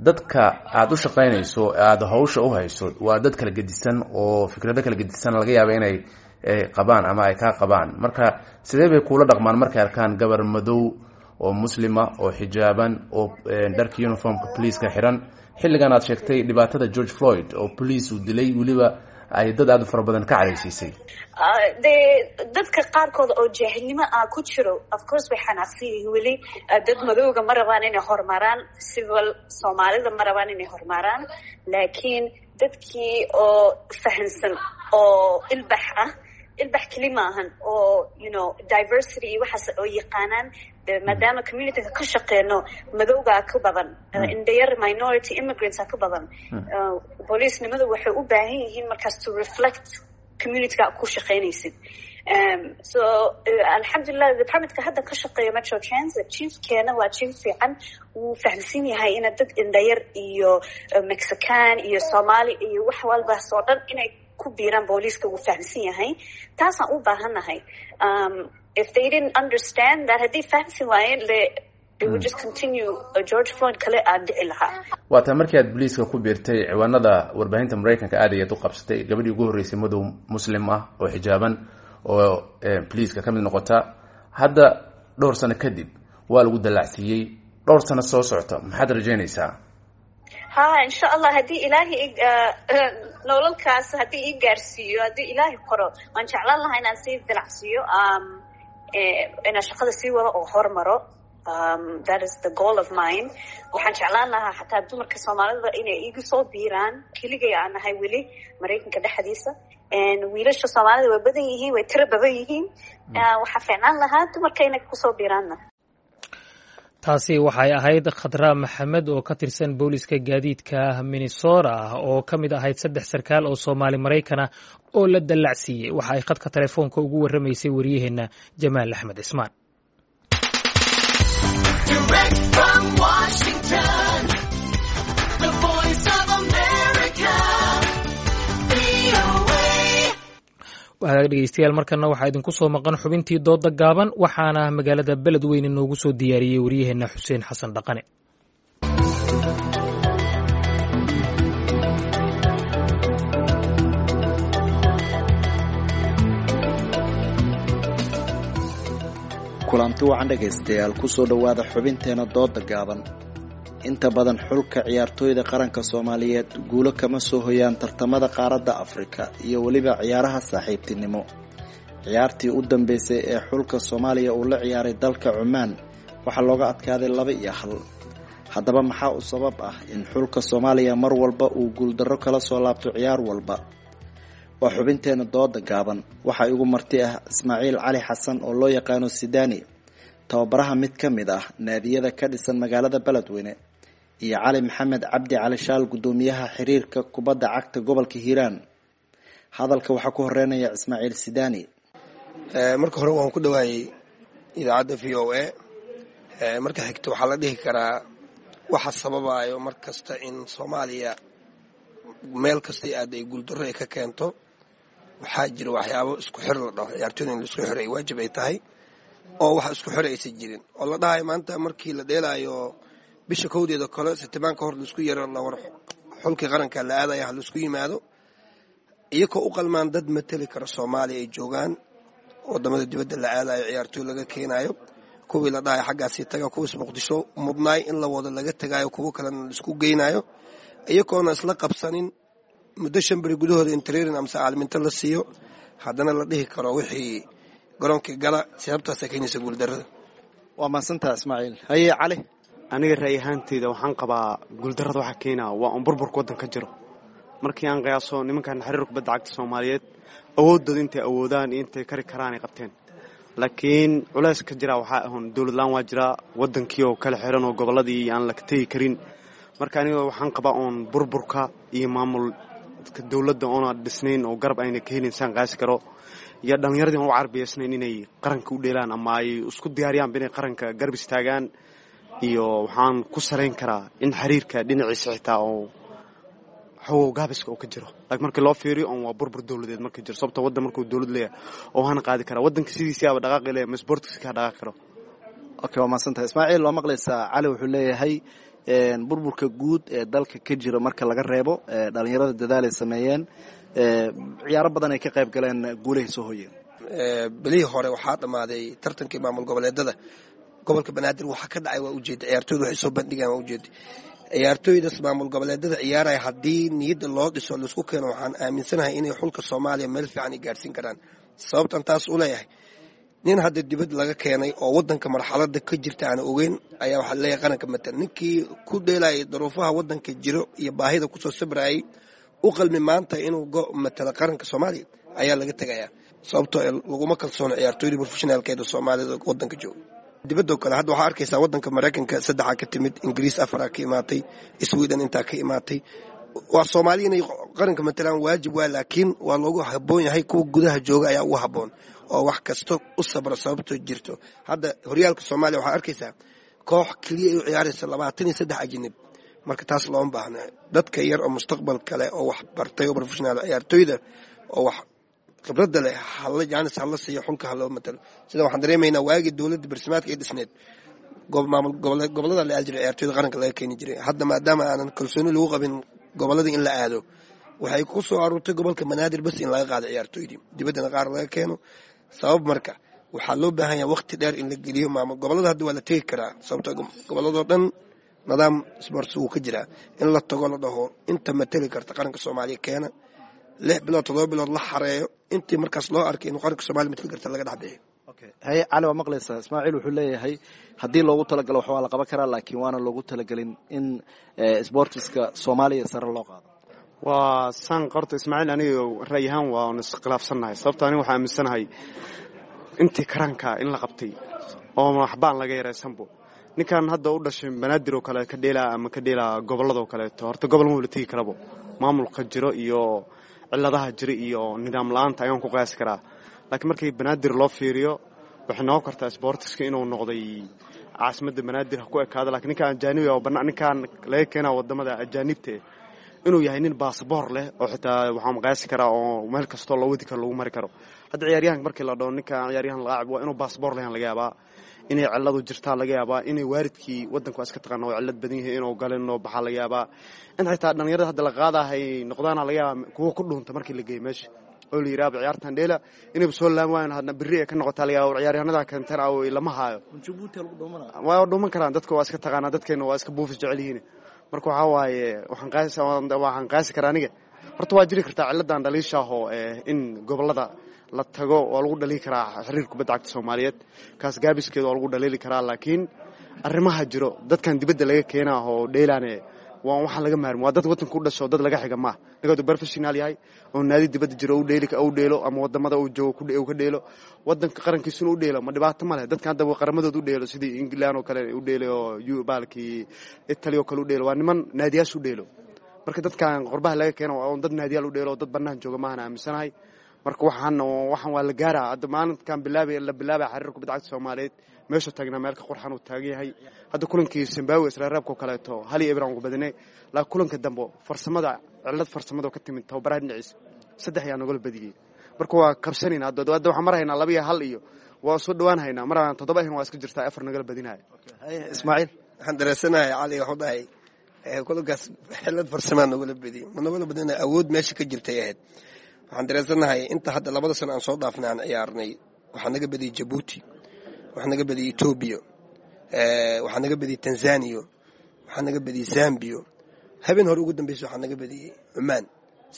dadka aada u shaqaynayso, aada hawsha u hayso, waa dad kala gedisan oo fikrado kala gedisan laga yaaba inay qabaan ama ay kaa qabaan. Marka sidee bay kuula dhaqmaan markay arkaan gabar madow oo muslima oo xijaaban oo dharka uniformka poliiska xiran, xilligan aad sheegtay dhibaatada George Floyd oo police uu dilay, weliba ay dad aada u fara badan ka cadhaysiisay? Dee dadka qaarkooda oo jaahilnimo ah ku jiro, of course way xanaaqsan yihiin weli. Dad madowga ma rabaan inay horumaraan, civil Soomaalida ma rabaan inay horumaraan, laakiin dadkii oo fahansan oo ilbax ah, ilbax keli maahan, oo diversity iyo waxaas oo yaqaanaan, maadaama communityga ka shaqeyno madowgaa ka badan, indhayar, minority, immigrantsa ka badan, booliisnimadu waxay u baahan yihiin markaas to reflect Communityga ku shaqaynaysid. So alxamdulilah, departmentka hadda ka shaqeeyo Metro Transit, chiefkeena waa chief fiican. Wuu fahamsan yahay ina dad indhayar iyo Mexican iyo Soomaali iyo wax walbaas oo dhan inay ku biiraan booliiska. Wuu fahamsan yahay, taasaan u baahannahay. If they didn't understand that, haddii fahamsan waayeen, it would just continue, George Floyd kale aan dhici lahaa. Waa taa markii aad booliiska ku biirtay, ciwaanada warbaahinta Maraykanka aad ayaad u qabsatay, gabadhii ugu horreysay madow Muslim ah oo xijaaban oo boliiska ka mid noqota. Hadda dhowr sano kadib waa lagu dallacsiiyey. Dhowr sano soo socota maxaad rajaynaysaa? Ha, insha Allah, haddii Ilaahay nololkaas haddii ii gaarsiiyo, haddii Ilaahay qoro, waan jeclaan lahaa inaan sii dilacsiiyo, inaan shaqada sii wado oo hormaro. That is the goal of mine. Waxaan jeclaan lahaa xataa dumarka Soomaalida inay iigu soo biiraan. Keligay aan nahay weli Maraykanka dhexdiisa. Wiilasha Soomaalida way badan yihiin, way tiro badan yihiin. Waxaa fiicnaan lahaa dumarka inay kusoo biiraanna. Taasi waxay ahayd Khadra Maxamed oo ka tirsan booliska gaadiidka Minnesota, oo ka mid ahayd saddex sarkaal oo Soomaali Maraykana oo la dallacsiiyey. Waxa ay khadka telefoonka ugu warramaysay wariyaheenna Jamaal Axmed Cismaan. Direct from Washington, the Voice of America, VOA. Wahagaag dhegeystayaal, markana waxaa idinku soo maqan xubintii dooda gaaban, waxaana magaalada Beledweyne noogu soo diyaariyey wariyaheenna Xuseen Xasan Dhaqane. Kulanti wacan dhegaystayaal, kusoo dhowaada xubinteena dooda gaaban. Inta badan xulka ciyaartooyda qaranka Soomaaliyeed guulo kama soo hoyaan tartamada qaaradda Afrika iyo weliba ciyaaraha saaxiibtinimo. Ciyaartii u dambeysay ee xulka Soomaaliya uu la ciyaaray dalka Cumaan waxaa looga adkaaday 2-1. Haddaba maxaa u sabab ah in xulka Soomaaliya mar walba uu guuldarro kala soo laabto ciyaar walba? Waa xubinteena dooda gaaban. Waxaa igu marti ah Ismaaciil Cali Xasan oo loo yaqaano Sidani, tababaraha mid ka mid ah naadiyada ka dhisan magaalada Beledweyne, iyo Cali Maxamed Cabdi Cali Shaal, guddoomiyaha xiriirka kubadda cagta gobolka Hiiraan. Hadalka waxaa ku horeynaya Ismaaciil Sidani. Marka hore waan ku dhawaayey idaacadda VOA. Marka xigta, waxaa la dhihi karaa waxa sababayo mar kasta in Soomaaliya meel kastay aad ay guuldarro ay ka keento, waxaa jira waxyaabo isku xir la dhaho. Ciyaartooyda in la isku xiro ay waajib ay tahay, oo wax isku xir aysan jirin, oo la dhahayo maanta markii la dheelaayo bisha kowdeeda kale sitimaan ka hor laisku yaro la war xulkii qaranka la aadaya ha laisku yimaado, iyakoo u qalmaan dad mateli kara Soomaaliya ay joogaan wadamada dibadda la aadayo, ciyaartooy laga keenayo, kuwii la dhahayo xaggaasii taga, kuwiis Muqdisho mudnaay in la wado laga tagaayo, kuwo kalena laisku geynayo, iyakoona isla qabsanin muddo 5 beri gudahooda in training amase caalminto la siiyo, haddana la dhihi karo wixii garoonkii gala. Sababtaasa keenaysa guuldarrada. Waa mahadsantaha, Ismaaciil. Haye Cali. Aniga ra'yi ahaanteyda waxaan qabaa guuldarrada waxaa keenaa waa un burburka waddanka jiro. Markii aan qiyaaso nimankan xiriir kubadda cagta Soomaaliyeed, awooddooda intay awoodaan iyo intay kari karaan ay qabteen, laakiin culays ka jira waxaa ahun dowlad la-aan waa jiraa, waddankii oo kala xiran oo gobolladii aan la tegi karin. Marka aniga waxaan qabaa uun burburka iyo maamul dowladda oona dhisnayn oo garab ayna ka helin saan qaasi karo, iyo dhallinyaradii aan u carbiyeysnayn inay qaranka u dheelaan ama ay isku diyaariyaanba inay qaranka garab istaagaan. Iyo waxaan ku salayn karaa in xiriirka dhinaciisa xitaa oo xogow gaabiska uu ka jiro, laakiin markii loo fiiriyo oon waa burbur dowladeed marka jiro, sababta waddan markuu dowlad leeyahay oo hana qaadi karaa waddanka sidiisii aba dhaqaaqi leeyahay, ma sportkiisa kaa dhaqaaqi karo. Okay, waa mahadsantahay, Ismaaciil. Waa maqlaysaa, Cali wuxuu leeyahay burburka guud ee dalka ka jira marka laga reebo, dhalinyarada dadaal ay sameeyeen, ciyaaro badan ay ka qayb galeen, guulahay soo hoyeen. Bilihii hore waxaa dhammaaday tartankii maamul goboleedada. Gobolka Banaadir waxa ka dhacay waa ujeeda, ciyaartooyda waxay soo bandhigaan waa ujeeda. Ciyaartooydas maamul goboleedada ciyaaraya haddii niyadda loo dhiso, laisku keeno, waxaan aaminsanahay inay xulka Soomaaliya meel fiican ay gaarsiin karaan. Sababtan taas u leeyahay, nin hadda dibad laga keenay oo wadanka marxalada ka jirta aan ogeyn ayaa waxaa leeyahay qaranka matal. Ninkii ku dheelayay daruufaha wadanka jiro iyo baahida kusoo sabrayay u qalmi maanta inuu matalo qaranka Soomaaliya ayaa laga tegayaa, sababtoo laguma kalsoono ciyaartooyda professionaalkeeda Soomaalida wadanka jooga. Dibadoo kale hadda waxaa arkaysaa wadanka Maraykanka saddexaa ka timid, Ingiriis afaraa ka imaatay, Sweden intaa ka imaatay. Waa Soomaali inay qaranka matalaan waajib waa, laakiin waa loogu habboon yahay kuwa gudaha jooga ayaa ugu habboon oo wax kasta u sabra. Sababto jirto hadda horyaalka Soomaaliya waxaa arkaysaa koox keliya ay u ciyaaraysa 23 ajnib. Marka taas looma baahna. Dadka yar oo mustaqbal kale oo wax bartay oo professional ciyaartoyda oo wax khibradda leh hala jaanis hala siiyo, xulka ha loo matalo. Sida waxaan dareemaynaa waagii dowladda barsimaadka ay dhisneed, maamul gobolada la aadi jiray, ciyaartoyda qaranka laga keeni jiray. Hadda maadaama aanan kalsooni lagu qabin gobolladii in la aado, waxay ku soo aruurtay gobolka Banaadir bas in laga qaado ciyaartoydii, dibaddana qaar laga keeno. Sabab marka waxaa loo baahan yahay waqti dheer in la geliyo maamul gobolada. Hadda waa la tegi karaa, sababto gobolladoo dhan nidaam sports wuu ka jiraa. In la tago, la dhaho inta mateli karta qaranka Soomaaliya keena, 6 bilood, 7 bilood la xareeyo, intii markaas loo arkay inuu qaranka Soomaaliya mateli karta laga dhex bixiyo. Haye Cali, waa maqlaysaa. Ismaaciil wuxuu leeyahay haddii loogu talagalo wax waa la qaban karaa, laakiin waana loogu talagelin in sportiska Soomaaliya sare loo qaado. Waa saan qorta Ismaaciil, aniga ra'yi ahaan waa on iskhilaafsannahay, sababto aniga waxaa aaminsanahay intii karaanka in la qabtay oo waxbaan laga yaraysanbo. Ninkan hadda u dhashay Banaadir oo kale ka dheelaa ama ka dheelaa gobolladoo kaleeto, horta gobol ma wala tegi karabo. Maamulka jiro iyo ciladaha jira iyo nidaam la-aanta ayaan ku qiyaasi karaa, laakiin markii Banaadir loo fiiriyo waxay noqon kartaa sboortiska inuu noqday caasimadda Banaadir ha ku ekaado. Lakiin ninkaan ajaanibi oo ninkaan laga keenaa wadamada ajaanibta inuu yahay nin baasboor leh oo xitaa waxaan qiyaasi karaa oo meel kastoo loo wadi karo lagu mari karo. Hadda ciyaaryahanka markii la dhaho ninkaan ciyaaryahan laacib waa inuu baasboor leh, laga yaabaa inay ciladu jirtaa, laga yaabaa inay waalidkii wadanku waa iska taqaana oo cilad badan yahay inuu galin oo baxaa, laga yaabaa in xitaa dhalinyarada hadda la qaadahay noqdaana, laga yaabaa kuwo ku dhuunta markii la geeyo meesha oo la yidhaha ciyaartan dheela inayba soo laam waayan, hadna berri ay ka noqotaa, laga yaaba ciyaaryahanada keenteen aw lama haayo, waa dhuuman karaan. Dadka waa iska taqaanaa, dadkeena waa iska buufis jecel yihiin. Marka waxaa waaye waxaan qaasi karaa aniga horta waa jiri kartaa ciladan dhaliishaahoo in gobolada la tago waa lagu dhaliili karaa xiriir kubadda cagta Soomaaliyeed, kaas gaabiskeeda waa lagu dhaliili karaa. Laakiin arrimaha jiro, dadkan dibadda laga keenaa oo dheelaane waa waxaan laga maarmin, waa dad wadanka u dhasho, dad laga xiga maaha. Ninka professional yahay oo naadi dibadda jiro u dheeli u dheelo ama wadamada uu joogo ku ka dheelo, wadanka qarankiisuna u dheelo, ma dhibaato ma leh. Dadkan hadda qaramadooda u dheelo sidii England oo kale u dheelo oo baalkii Italy oo kale u dheelo, waa niman naadiyaasha u dheelo. Marka dadkan qurbaha laga keeno waa dad naadiyaal u dheelo, dad bannaan jooga maahan aaminsanahay. Marka waxaan waa la gaaraa. Hadda maalinkan bilaabay la bilaabay xiriir kubadda cagta Soomaaliyeed meeshuu taagnaa meel ka qurxan uu taagan yahay. Hadda kulankii Zimbabwe israaraabka oo kaleeto 1-0 aan ku badinay, laakiin kulanka dambe farsamada cilad farsamada ka timid tababaraha dhinaciisa 3 ayaa nagala badiyey. Marka waa kabsanayna. Hadda waxaan marhaynaa 2-1 iyo waa soo dhawaan haynaa, mar aan 7 ahayn waa iska jirtaa 4 nagala badinaya. Ismaaciil. Waxaan dareesanahay Cali wuxuu dhahay kulankaas xilad farsamaa nagula badiyey. Ma nagula badinaya, awood meesha ka jirtay ahayd. Waxaan dareensanahay inta hadda 2da sano aan soo dhaafnay aan ciyaarnay, waxaa naga badiyey Jabuuti, waxaa naga badiyey Etoobiya, waxaa naga badiyey Tanzania, waxaa naga badiyey Zambiya, habeen hore ugu dambeysa waxaa naga badiyey Cumaan.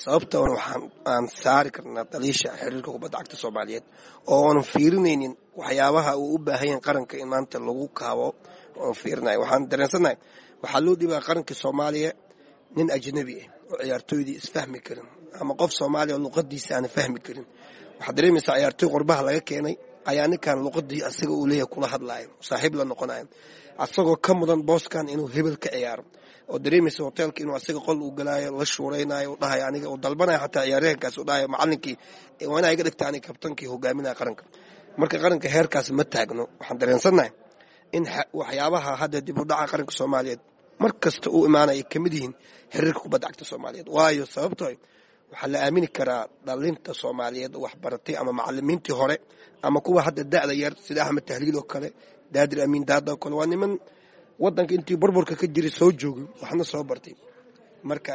Sababtoona waxaan aan saari karnaa daliisha xiriirka kubadda cagta Soomaaliyeed oo aanan fiirinaynin waxyaabaha uu u baahan yahay qaranka in maanta lagu kaabo oon fiirinayo. Waxaan dareensanahay waxaa loo dhibaa qaranka Soomaaliya nin ajnabi ah oo ciyaartooydii isfahmi karin ama qof Soomaaliya oo luqadiisa aan fahmi karin. Waxaad dareemaysaa ciyaartooy qurbaha laga keenay ayaa ninkan luqadii asaga uu leeyahay kula hadlaayo, saaxiib la noqonayo, asagoo ka mudan booskan inuu hebel ka ciyaaro, oo dareemaysa hoteelka inuu asaga qol uu galaayo, la shuuraynayo, u dhahayo aniga uu dalbanayo, xataa ciyaaryahankaas uu dhahayo macallinkii waa inaa iga dhigta aniga kabtankii hogaaminaya qaranka. Marka qaranka heerkaas ma taagno. Waxaan dareensannahay in waxyaabaha hadda dib u dhaca qaranka Soomaaliyeed mar kasta uu imaanaya ay kamid yihiin xiriirka kubadda cagta Soomaaliyeed. Waayo sababtoo waxaa la aamini karaa dhalinta Soomaaliyeed oo waxbaratay ama macalimiintii hore ama kuwa hadda da'da yar sida Axmed Tahliil oo kale, Daadir Amiin Daada oo kale, waa niman wadanka intii burburka ka jiray soo joogay, waxna soo bartay. Marka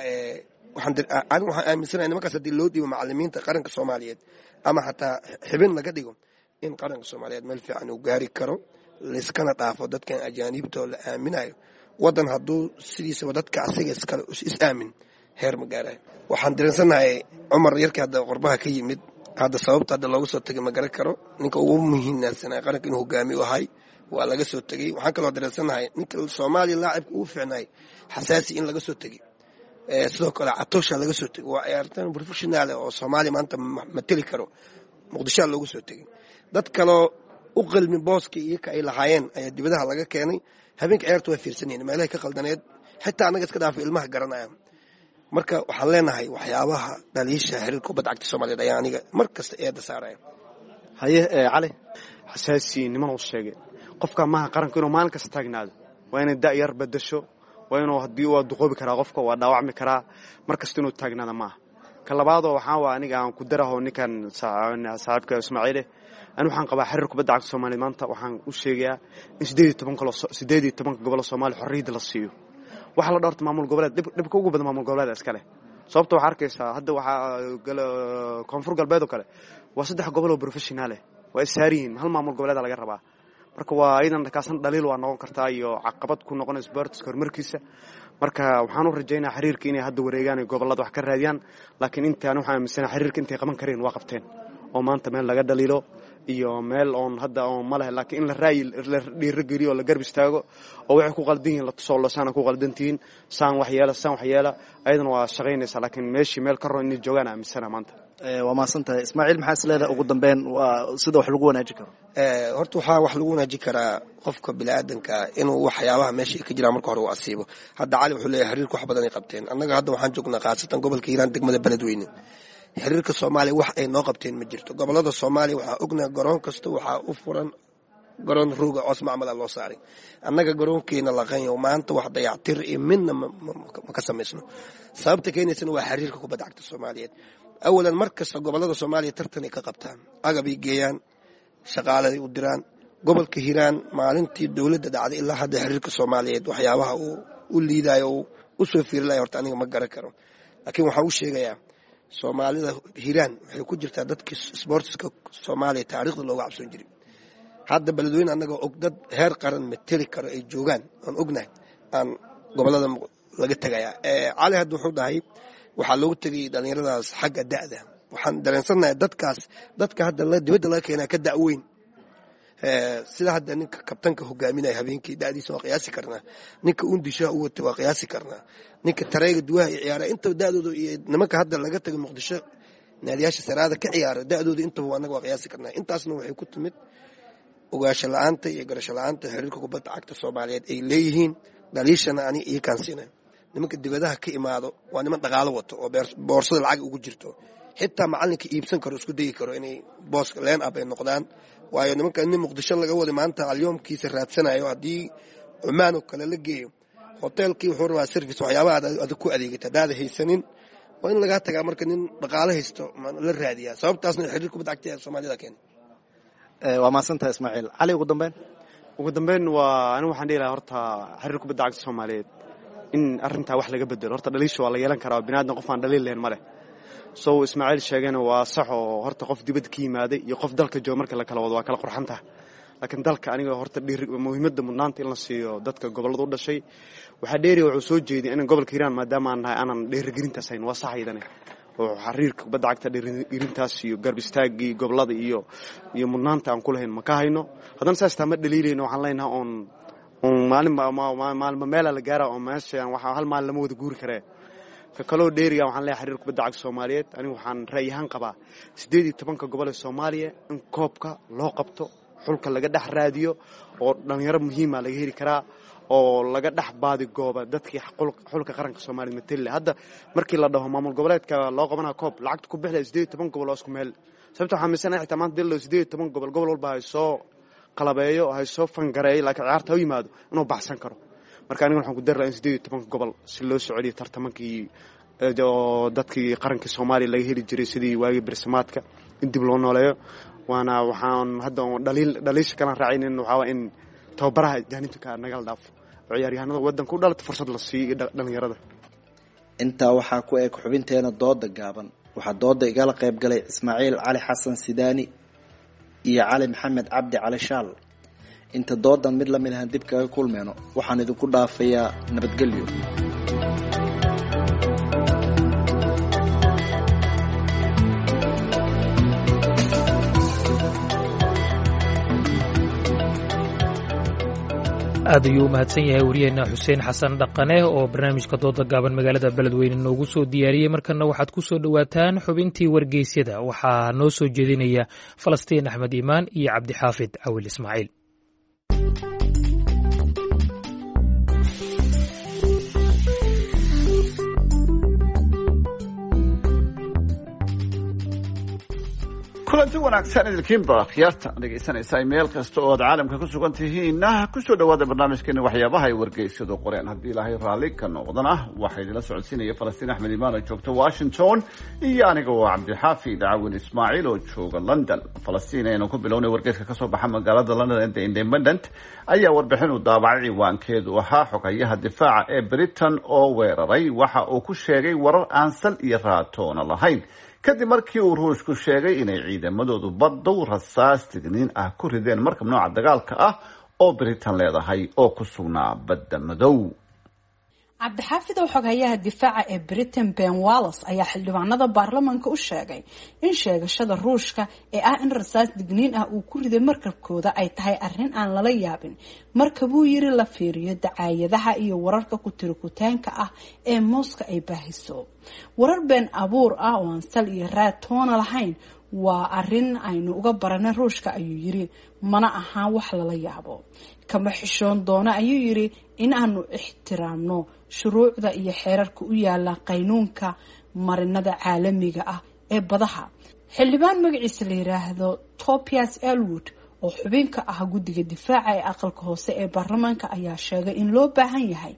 anigu waxaan aaminsanahay nimankaas haddii loo dhiibo macalimiinta qaranka Soomaaliyeed ama xataa xibin laga dhigo in qaranka Soomaaliyeed meel fiican uu gaari karo, layskana dhaafo dadkan ajaaniibta oo la aaminayo. Wadan hadduu sidiisaba dadka asiga iskale is aamin heer ma gaarayo. Waxaan dareensanahay Cumar yarkii hadda qurbaha ka yimid, hadda sababta hadda looga soo tegay ma garan karo. Ninka ugu muhiimsanaa qaranka inuu hogaamiye u ahay waa laga soo tegey. Waxaan kaloo dareensanahay ninka Soomaaliya laacibka ugu fiicnaay Xasaasi in laga soo tegey, sidoo kale Catoosha laga soo tegey. Waa ciyaartaan professional oo Soomaaliya maanta mateli karo, Muqdishoa looga soo tegey. Dad kaloo u qalmin booskii iyaka ay lahaayeen ayaa dibadaha laga keenay. Habeenka ciyaarta waa fiirsanayeen meelahay ka qaldaneed, xitaa annaga iska dhaafay ilmaha garanaya. Marka waxaan leenahay waxyaabaha dhaliisha xiriirka kubadda cagta Soomaaliyeed ayaa aniga mar kasta eedda saaraya. Haye Cali. Xasaasi niman uu sheegay qofka maaha qaranku inuu maalin kasta taagnaado, waa inay da'yar bedasho, waa inuu haddii waa duqoobi karaa qofka, waa dhaawacmi karaa, mar kasta inuu taagnaada maaha. Ka labaadoo waxaa waa aniga aan ku daraho ninkan saaxiibka Ismaaciile, ani waxaan qabaa xiriir kubadda cagta Soomaaliya maanta waxaan u sheegayaa in 18 gobol oo Soomaaliya xorriyadda la siiyo. Waxa la dhorta maamul goboleed dhibka ugu badan maamul goboleed iska leh, sababta waxaa arkaysaa hadda waxaa Koonfur Galbeed oo kale waa 3 gobol oo professional ah, waa ishaariyiin, hal maamul goboleed laga rabaa. Marka waa iyadan kaasan dhaliil waa noqon kartaa iyo caqabad ku noqonaysa sportska horumarkiisa. Marka waxaan u rajaynayaa xiriirka inay hadda wareegaan ay gobollada wax ka raadiyaan, laakiin intaan waxaan aaminsanahay xiriirka intay qaban kareen waa qabteen, oo maanta meel laga dhaliilo iyo meel oon hadda oon ma leh, laakiin in la raayi la dhiirigeliyo oo la garab istaago oo waxay ku qaldan yihiin la tuso, saana ku qaldantihiin, saan wax yeela, saan wax yeela, ayadana waa shaqaynaysaa, laakiin meeshii meel ka roon inay joogaan aaminsana maanta. Waa mahadsan tahay Ismaaciil. Maxaa is leedahay ugu dambeyn waa sida wax lagu wanaajin karo? Horta waxaa wax lagu wanaajin karaa qofka biniaadanka inuu waxyaabaha meesha ka jiraan marka hore uu asiibo. Hadda Cali wuxuu leeyahay xiriirka wax badan ay qabteen. Annaga hadda waxaan joognaa khaasatan gobolka Hiiraan, degmada Beledweyne. Xiriirka Soomaaliya wax ay noo qabteen ma jirto. Gobolada Soomaaliya waxaa ognahay garoon kasta waxaa u furan garoon rooga coos macmala loo saaray. Annaga garoonkeena laqanyo maanta wax dayactir iyo midna ma ka samaysno. Sababta keenaysana waa xiriirka kubadda cagta Soomaaliyeed. Awalan mar kasta gobolada Soomaaliya tartanay ka qabtaan, agabay geeyaan, shaqaaladay u diraan. Gobolka Hiiraan maalintii dowladda dhacday ilaa hadda xiriirka Soomaaliyeed waxyaabaha uu u liidayo uu u soo fiirinlayo horta aniga ma garan karo, laakiin waxaan u sheegayaa Soomaalida Hiiraan waxay ku jirtaa dadkii sboortiska Soomaaliya taariikhda looga cabsoon jiray. Hadda Beledweyne annagoo og dad heer qaran mateli karo ay joogaan aan ognahay aan gobolada laga tegayaa. Cali hadda wuxuu dhahay waxaa loogu tegay dhallinyaradaas xagga da'da. Waxaan dareensannahay dadkaas dadka hadda dibadda laga keenaa ka da'weyn, sida hadda ninka kabtanka hogaaminaya habeenkii da'diisa waa qiyaasi karnaa, ninka uundishaha u watay waa qiyaasi karnaa, ninka tareega duwaha iyo ciyaara intaba da'dooda iyo nimanka hadda laga tagay Muqdisho naadiyaasha saraada ka ciyaara da'dooda intaba annaga waa qiyaasi karnaa. Intaasna waxay ku timid ogaasho la'aanta iyo garasho la'aanta xiriirka kubadda cagta Soomaaliyeed ay leeyihiin. Dhaliishana ani ii kaansiinay nimanka dibadaha ka imaado waa niman dhaqaalo wato oo boorsada lacag ugu jirto, xitaa macalinka iibsan karo isku dayi karo inay booska leen up ay noqdaan. Waayo nimanka nin Muqdisho laga waday maanta alyoomkiisa raadsanayo, haddii Cumaan oo kale la geeyo hoteelkii wuxuu rabaa service, waxyaabaha adag ku adeegata haddaada haysanin waa in lagaa tagaa. Marka nin dhaqaalo haysto la raadiyaa, sababtaasna xiriir kubadda cagta ee Soomaalida keena. Waa mahadsantahay Ismaaciil. Cali, ugu dambeyn. Ugu dambeyn waa anigu waxaan dhihi lahaa horta xiriir kubadda cagta Soomaaliyeed in arrintaa wax laga bedelo. Horta dhaliisha waa la yeelan karaa, biniaadan qof aan dhaliil lahayn ma leh. Sow Ismaaciil sheegayna waa sax, oo horta qof dibadda ka yimaaday iyo qof dalka jooga marka la kala wado waa kala qurxan tahay, laakiin dalka aniga horta muhiimadda mudnaanta in la siiyo dadka gobollada u dhashay. Waxaa dheeriya wuxuu soo jeediyay in gobolka Hiiraan maadaama aan nahay aanan dhiirigelintaas hayn, waa sax iyadane oo xiriirka kubadda cagta dhiirigelintaas iyo garab istaaggii gobollada iyo mudnaanta aan ku lahayn ma ka hayno. Haddana saas taa ma dhaliilayno, waxaan leenahay oon maalinba meela la gaara oo meesha waxaa hal maalin lama wada guuri karee. Ka kaloo dheeriga waxaan leeyahay xiriir kubadda cagta Soomaaliyeed anigu waxaan ra'yi ahaan qabaa 18 gobol ee Soomaaliya in koobka loo qabto, xulka laga dhex raadiyo oo dhalinyaro muhiima laga heli karaa oo laga dhex baadigooba dadkii xulka qaranka Soomaaliya matali. Hadda markii la dhaho maamul goboleedka loo qabanaa koob lacagta ku bixila 18 gobol oo isku meel, sababta waxaa miisanahay xitaa maanta dil 18 gobol gobol walba hay soo qalabeeyo hay soo fangareeyo, laakiin ciyaarta u yimaado inuu baxsan karo. Marka aniga waxaan ku dari lahaa in 18 gobol si loo soo celiyo tartamankii oo dadkii qaranka Soomaaliya laga heli jiray sidii waagii bersamaadka in dib loo nooleeyo. Waana waxaan hadda dhaliisha kalaan raacaynin waxaa waa in tababaraha jaanibka nagala dhaafo oo ciyaaryahanada waddanka u dhalata fursad la siiyo iyo dhalinyarada. Intaa waxaa ku eg xubinteena dooda gaaban. Waxaa dooda igala qayb galay Ismaaciil Cali Xasan Sidaani iyo Cali Maxamed Cabdi Cali Shaal. Inta doodan mid lamid ahaan dib kaga kulmeyno, waxaan idinku dhaafayaa nabadgelyo. Aad ayuu u mahadsan yahay wariyeenna Xuseen Xasan Dhaqane oo barnaamijka dooda gaaban magaalada Beledweyne noogu soo diyaariyey. Markanna waxaad ku soo dhowaataan xubintii wargeysyada, waxaa noo soo jeedinaya Falastiin Axmed Iimaan iyo Cabdixaafid Cawil Ismaaciil. Kulanti wanaagsan idilkiinba akhyaarta dhegaysanaysa meel kasta oo aad caalamka ku sugan tihiinna, kusoo dhawaada barnaamijkeena waxyaabaha ay wargeysyadu qoreen. Haddii Ilaahay raalli ka noqdana, waxaa idinla socodsiinaya Falastiin Axmed Imaan oo joogta Washington iyo aniga oo Cabdixaafi Dacwin Ismaaciil oo jooga London. Falastiin, aynu ku bilownay wargeyska kasoo baxa magaalada London ee The Independent ayaa warbixin uu daabacay ciwaankeedu ahaa "Xogayaha difaaca ee Britain oo weeraray waxa uu ku sheegay warar aan sal iyo raatoona lahayn", kadib markii uu Ruushku sheegay inay ciidamadoodu baddow rasaas digniin ah ku rideen markab nooca dagaalka ah oo Britain leedahay oo ku sugnaa Badda Madow. Cabdixaafidow, xoghayaha difaaca ee Britain Ben Wallace ayaa xildhibaanada baarlamaanka u sheegay in sheegashada Ruushka ee ah in rasaas digniin ah uu ku riday markabkooda ay tahay arrin aan lala yaabin marka, buu yiri, la fiiriyo dacaayadaha iyo wararka ku-tirikutaanka ah ee Mooska ay baahiso. Warar been abuur ah oo aan sal iyo raad toona lahayn waa arrin aynu uga baranay Ruushka, ayuu yiri, mana ahaan wax lala yaabo. Kama xishoon doono, ayuu yiri, in aanu ixtiraamno shuruucda iyo xeerarka u yaala qaynuunka marinada caalamiga ah ee badaha. Xildhibaan magaciisa la yiraahdo Tobias Elwood oo xubinka ah guddiga difaaca ee aqalka hoose ee baarlamaanka ayaa sheegay in loo baahan yahay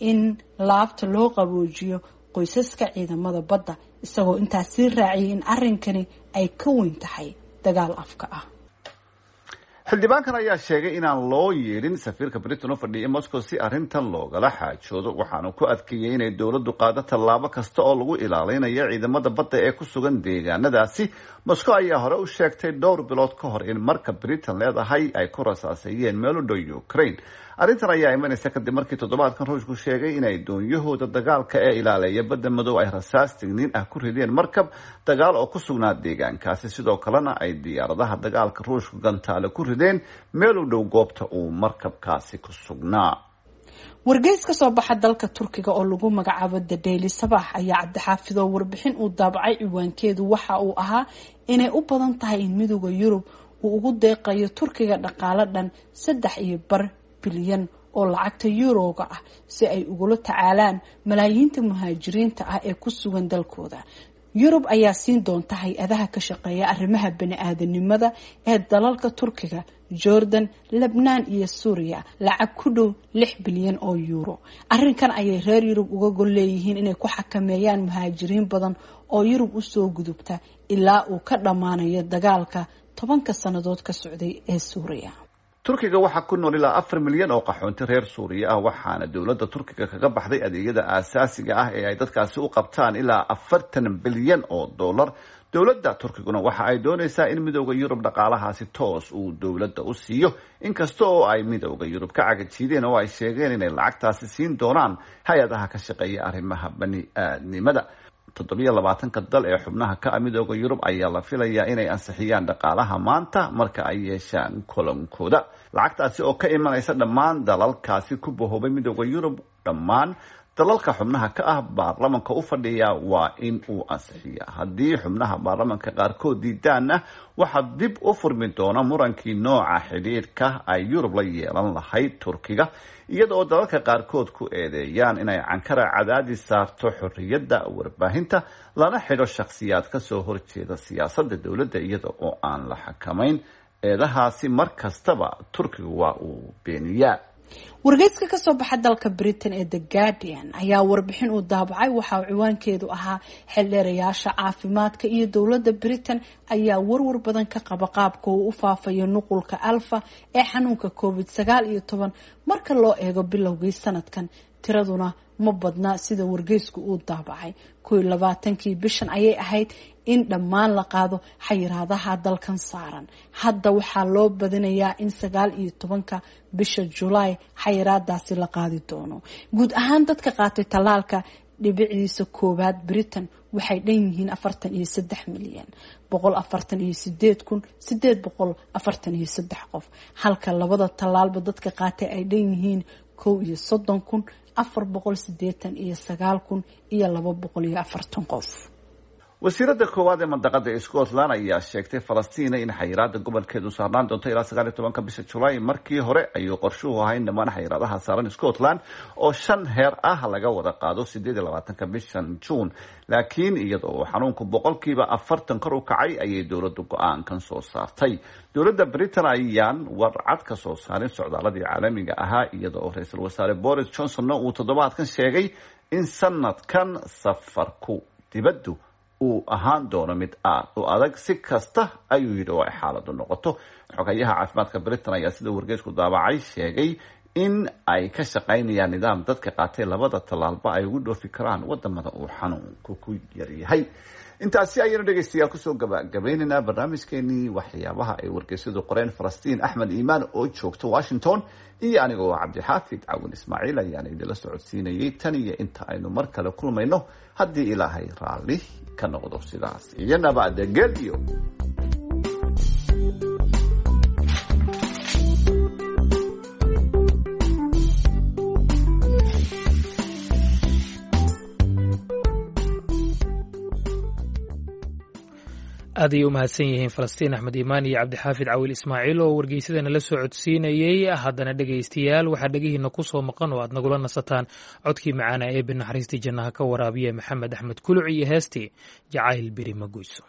in laabta loo qaboojiyo qoysaska ciidamada badda, isagoo intaas sii raaciyay in arrinkani ay ka weyn tahay dagaal afka ah. Xildhibaankan ayaa sheegay inaan loo yeedhin safiirka Britain u fadhiya Moscow si arrintan loogala xaajoodo, waxaanu ku adkeeyey inay dowladdu qaado tallaabo kasta oo lagu ilaalinayo ciidamada badda ee ku sugan deegaanadaasi. Moscow ayaa hore u sheegtay dhowr bilood ka hor in marka Britain leedahay ay ku rasaaseeyeen meel u dhow Ukraine. Arrintan ayaa imanaysa kadib markii toddobaadkan Ruushku sheegay inay doonyahooda dagaalka ee ilaaleeya Badda Madow ay rasaas digniin ah ku rideen markab dagaal oo ku sugnaa deegaankaasi, sidoo kalena ay diyaaradaha dagaalka Ruushku gantaale ku rideen meel u dhow goobta uu markabkaasi ku sugnaa. Wargeys ka soo baxa dalka Turkiga oo lagu magacaabo The Daily Sabah ayaa, Cabdixaafidoo, warbixin uu daabacay ciwaankeedu waxa uu ahaa inay u badan tahay in Midooda Yurub uu ugu deeqayo Turkiga dhaqaalo dhan 3.5 bilyan oo lacagta yuroga ah si ay ugula tacaalaan malaayiinta muhaajiriinta ah ee ku sugan dalkooda. Yurub ayaa siin doonta hay-adaha ka shaqeeya arrimaha bani-aadanimada ee dalalka Turkiga, Jordan, Lebnaan iyo Suuriya lacag ku dhow 6 bilyan oo yuuro. Arrinkan ayay reer Yurub uga gol leeyihiin inay ku xakameeyaan muhaajiriin badan oo Yurub usoo gudubta ilaa uu ka dhammaanayo dagaalka 10-ka sannadood ka socday ee Suuriya. Turkiga waxaa ku nool ilaa 4 milyan oo qaxoonti reer Suuriya ah, waxaana dowladda Turkiga kaga baxday adeegyada aasaasiga ah ee ay dadkaasi u qabtaan ilaa 40 bilyan oo dollar. Dowladda Turkiguna waxa ay doonaysaa in Midooda Yurub dhaqaalahaasi toos uu dowladda u siiyo, inkasta oo ay Midooda Yurub ka cagajiideen oo ay sheegeen inay lacagtaasi siin doonaan hay-adaha ka shaqeeya arrimaha bani aadnimada. 27-ka dal ee xubnaha ka ah Midooda Yurub ayaa la filayaa inay ansixiyaan dhaqaalaha maanta marka ay yeeshaan kulankooda. Lacagtaasi oo ka imanaysa dhammaan dalalkaasi ku bahoobay Midooda Yurub, dhammaan dalalka xubnaha ka ah baarlamanka u fadhiya waa in uu ansixiya. Haddii xubnaha baarlamanka qaarkood diidaanna, waxaa dib u furmi doona murankii nooca xidhiidhka ay Yurub la yeelan lahayd Turkiga, iyada oo dalalka qaarkood ku eedeeyaan inay Ankara cadaadis saarto xorriyadda warbaahinta, lana xidho shakhsiyaad kasoo horjeeda siyaasadda dowladda, iyada oo aan la xakamayn. Eedahaasi mar kastaba Turkiga waa uu beeniyaa. Wargeyska kasoo baxa dalka Britain ee The Guardian ayaa warbixin uu daabacay waxa uu ciwaankeedu ahaa "Xildheerayaasha caafimaadka iyo dowladda Britain ayaa warwar badan ka qaba qaabka uu u faafayo nuqulka Alfa ee xanuunka COVID-19 marka loo eego bilowgii sanadkan". Tiraduna ma badna sida wargeysku uu daabacay. 21-kii bishan ayay ahayd in dhammaan la qaado xayiraadaha dalkan saaran. Hadda waxaa loo badinayaa in 19-ka bisha Julaay xayiraadaasi la qaadi doono. Guud ahaan dadka qaatay tallaalka dhibiciisa koowaad Britain waxay dhan yihiin 43,048,843 qof, halka labada tallaalba dadka qaatay ay dhan yihiin 31,489,240 qof. Wasiirada koowaad ee mandaqada Scotland ayaa sheegtay Falastiina in xayiraada gobolkeedu saarnaan doonto ilaa 19-ka bisha Julaay. Markii hore ayuu qorshuhu ahaa in dhammaan xayiraadaha saaran Scotland oo 5 heer ah laga wada qaado 28-ka bishan Juun, laakiin iyadoo xanuunku 40% kor u kacay ayay dowladdu go-aankan soo saartay. Dowladda Britain ayaan warcad ka soo saarin socdaaladii caalamiga ahaa, iyada oo ra-iisul wasaare Boris Johnsonna uu toddobaadkan sheegay in sanadkan safarku dibaddu uu ahaan doono mid aad u adag, si kasta ayuu yidhi oo ay xaaladu noqoto. Xogayaha caafimaadka Britain ayaa sida wargeysku daabacay sheegay in ay ka shaqaynayaan nidaam dadka qaatay labada tallaalba ay ugu dhoofi karaan wadamada uu xanuunku ku yaryahay. Intaasi ayaynu dhegeystayaal kusoo gabagabaynaynaa barnaamijkeenii waxyaabaha ay wargeysyadu qoreen. Falastiin Axmed Iimaan oo joogta Washington iyo anigoo Cabdixaafid Cawin Ismaaciil ayaana idinla socodsiinayay tan iyo inta aynu mar kale kulmayno, haddii Ilaahay raalli ka noqdo, sidaas iyo nabadgelyo. Aad ayay u mahadsan yihiin Falastiin Axmed Iimaan iyo Cabdixaafid Cawil Ismaaciil oo wargeysadana la soo codsiinayey. Haddana dhegaystayaal, waxaa dhegihiina ku soo maqan oo aad nagula nasataan codkii macaana ee binaxariistii jannaha ka waraabiya Maxamed Axmed Kuluc iyo heestii Jacayl Beri Magoyso.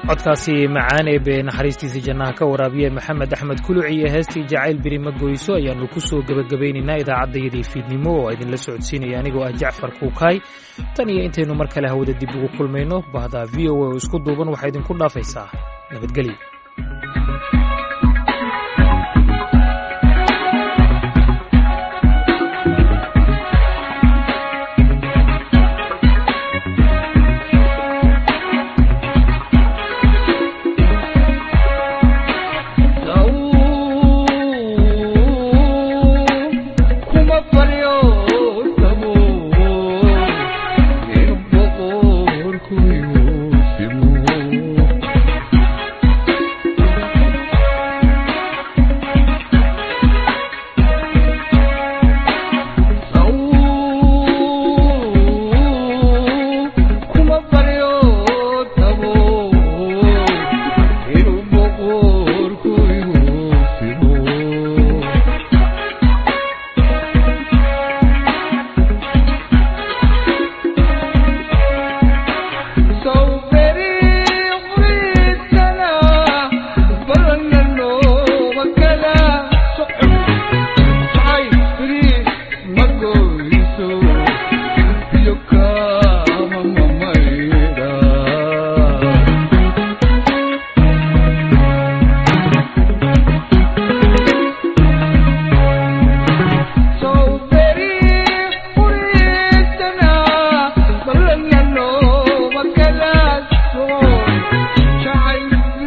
Codkaasi macaan ee bee naxariistiisa jannaha ka waraabiye Maxamed Axmed Kuluc iyo heestii Jacayl Beri Ma Goyso ayaannu ku soo gebagabaynaynaa idaacaddayadii fiidnimo oo idinla socodsiinaya anigoo ah Jacfar Kuukaay. Tan iyo intaynu mar kale hawada dib ugu kulmayno, bahda VOA oo isku duuban waxaa idinku dhaafaysaa nabadgelyo.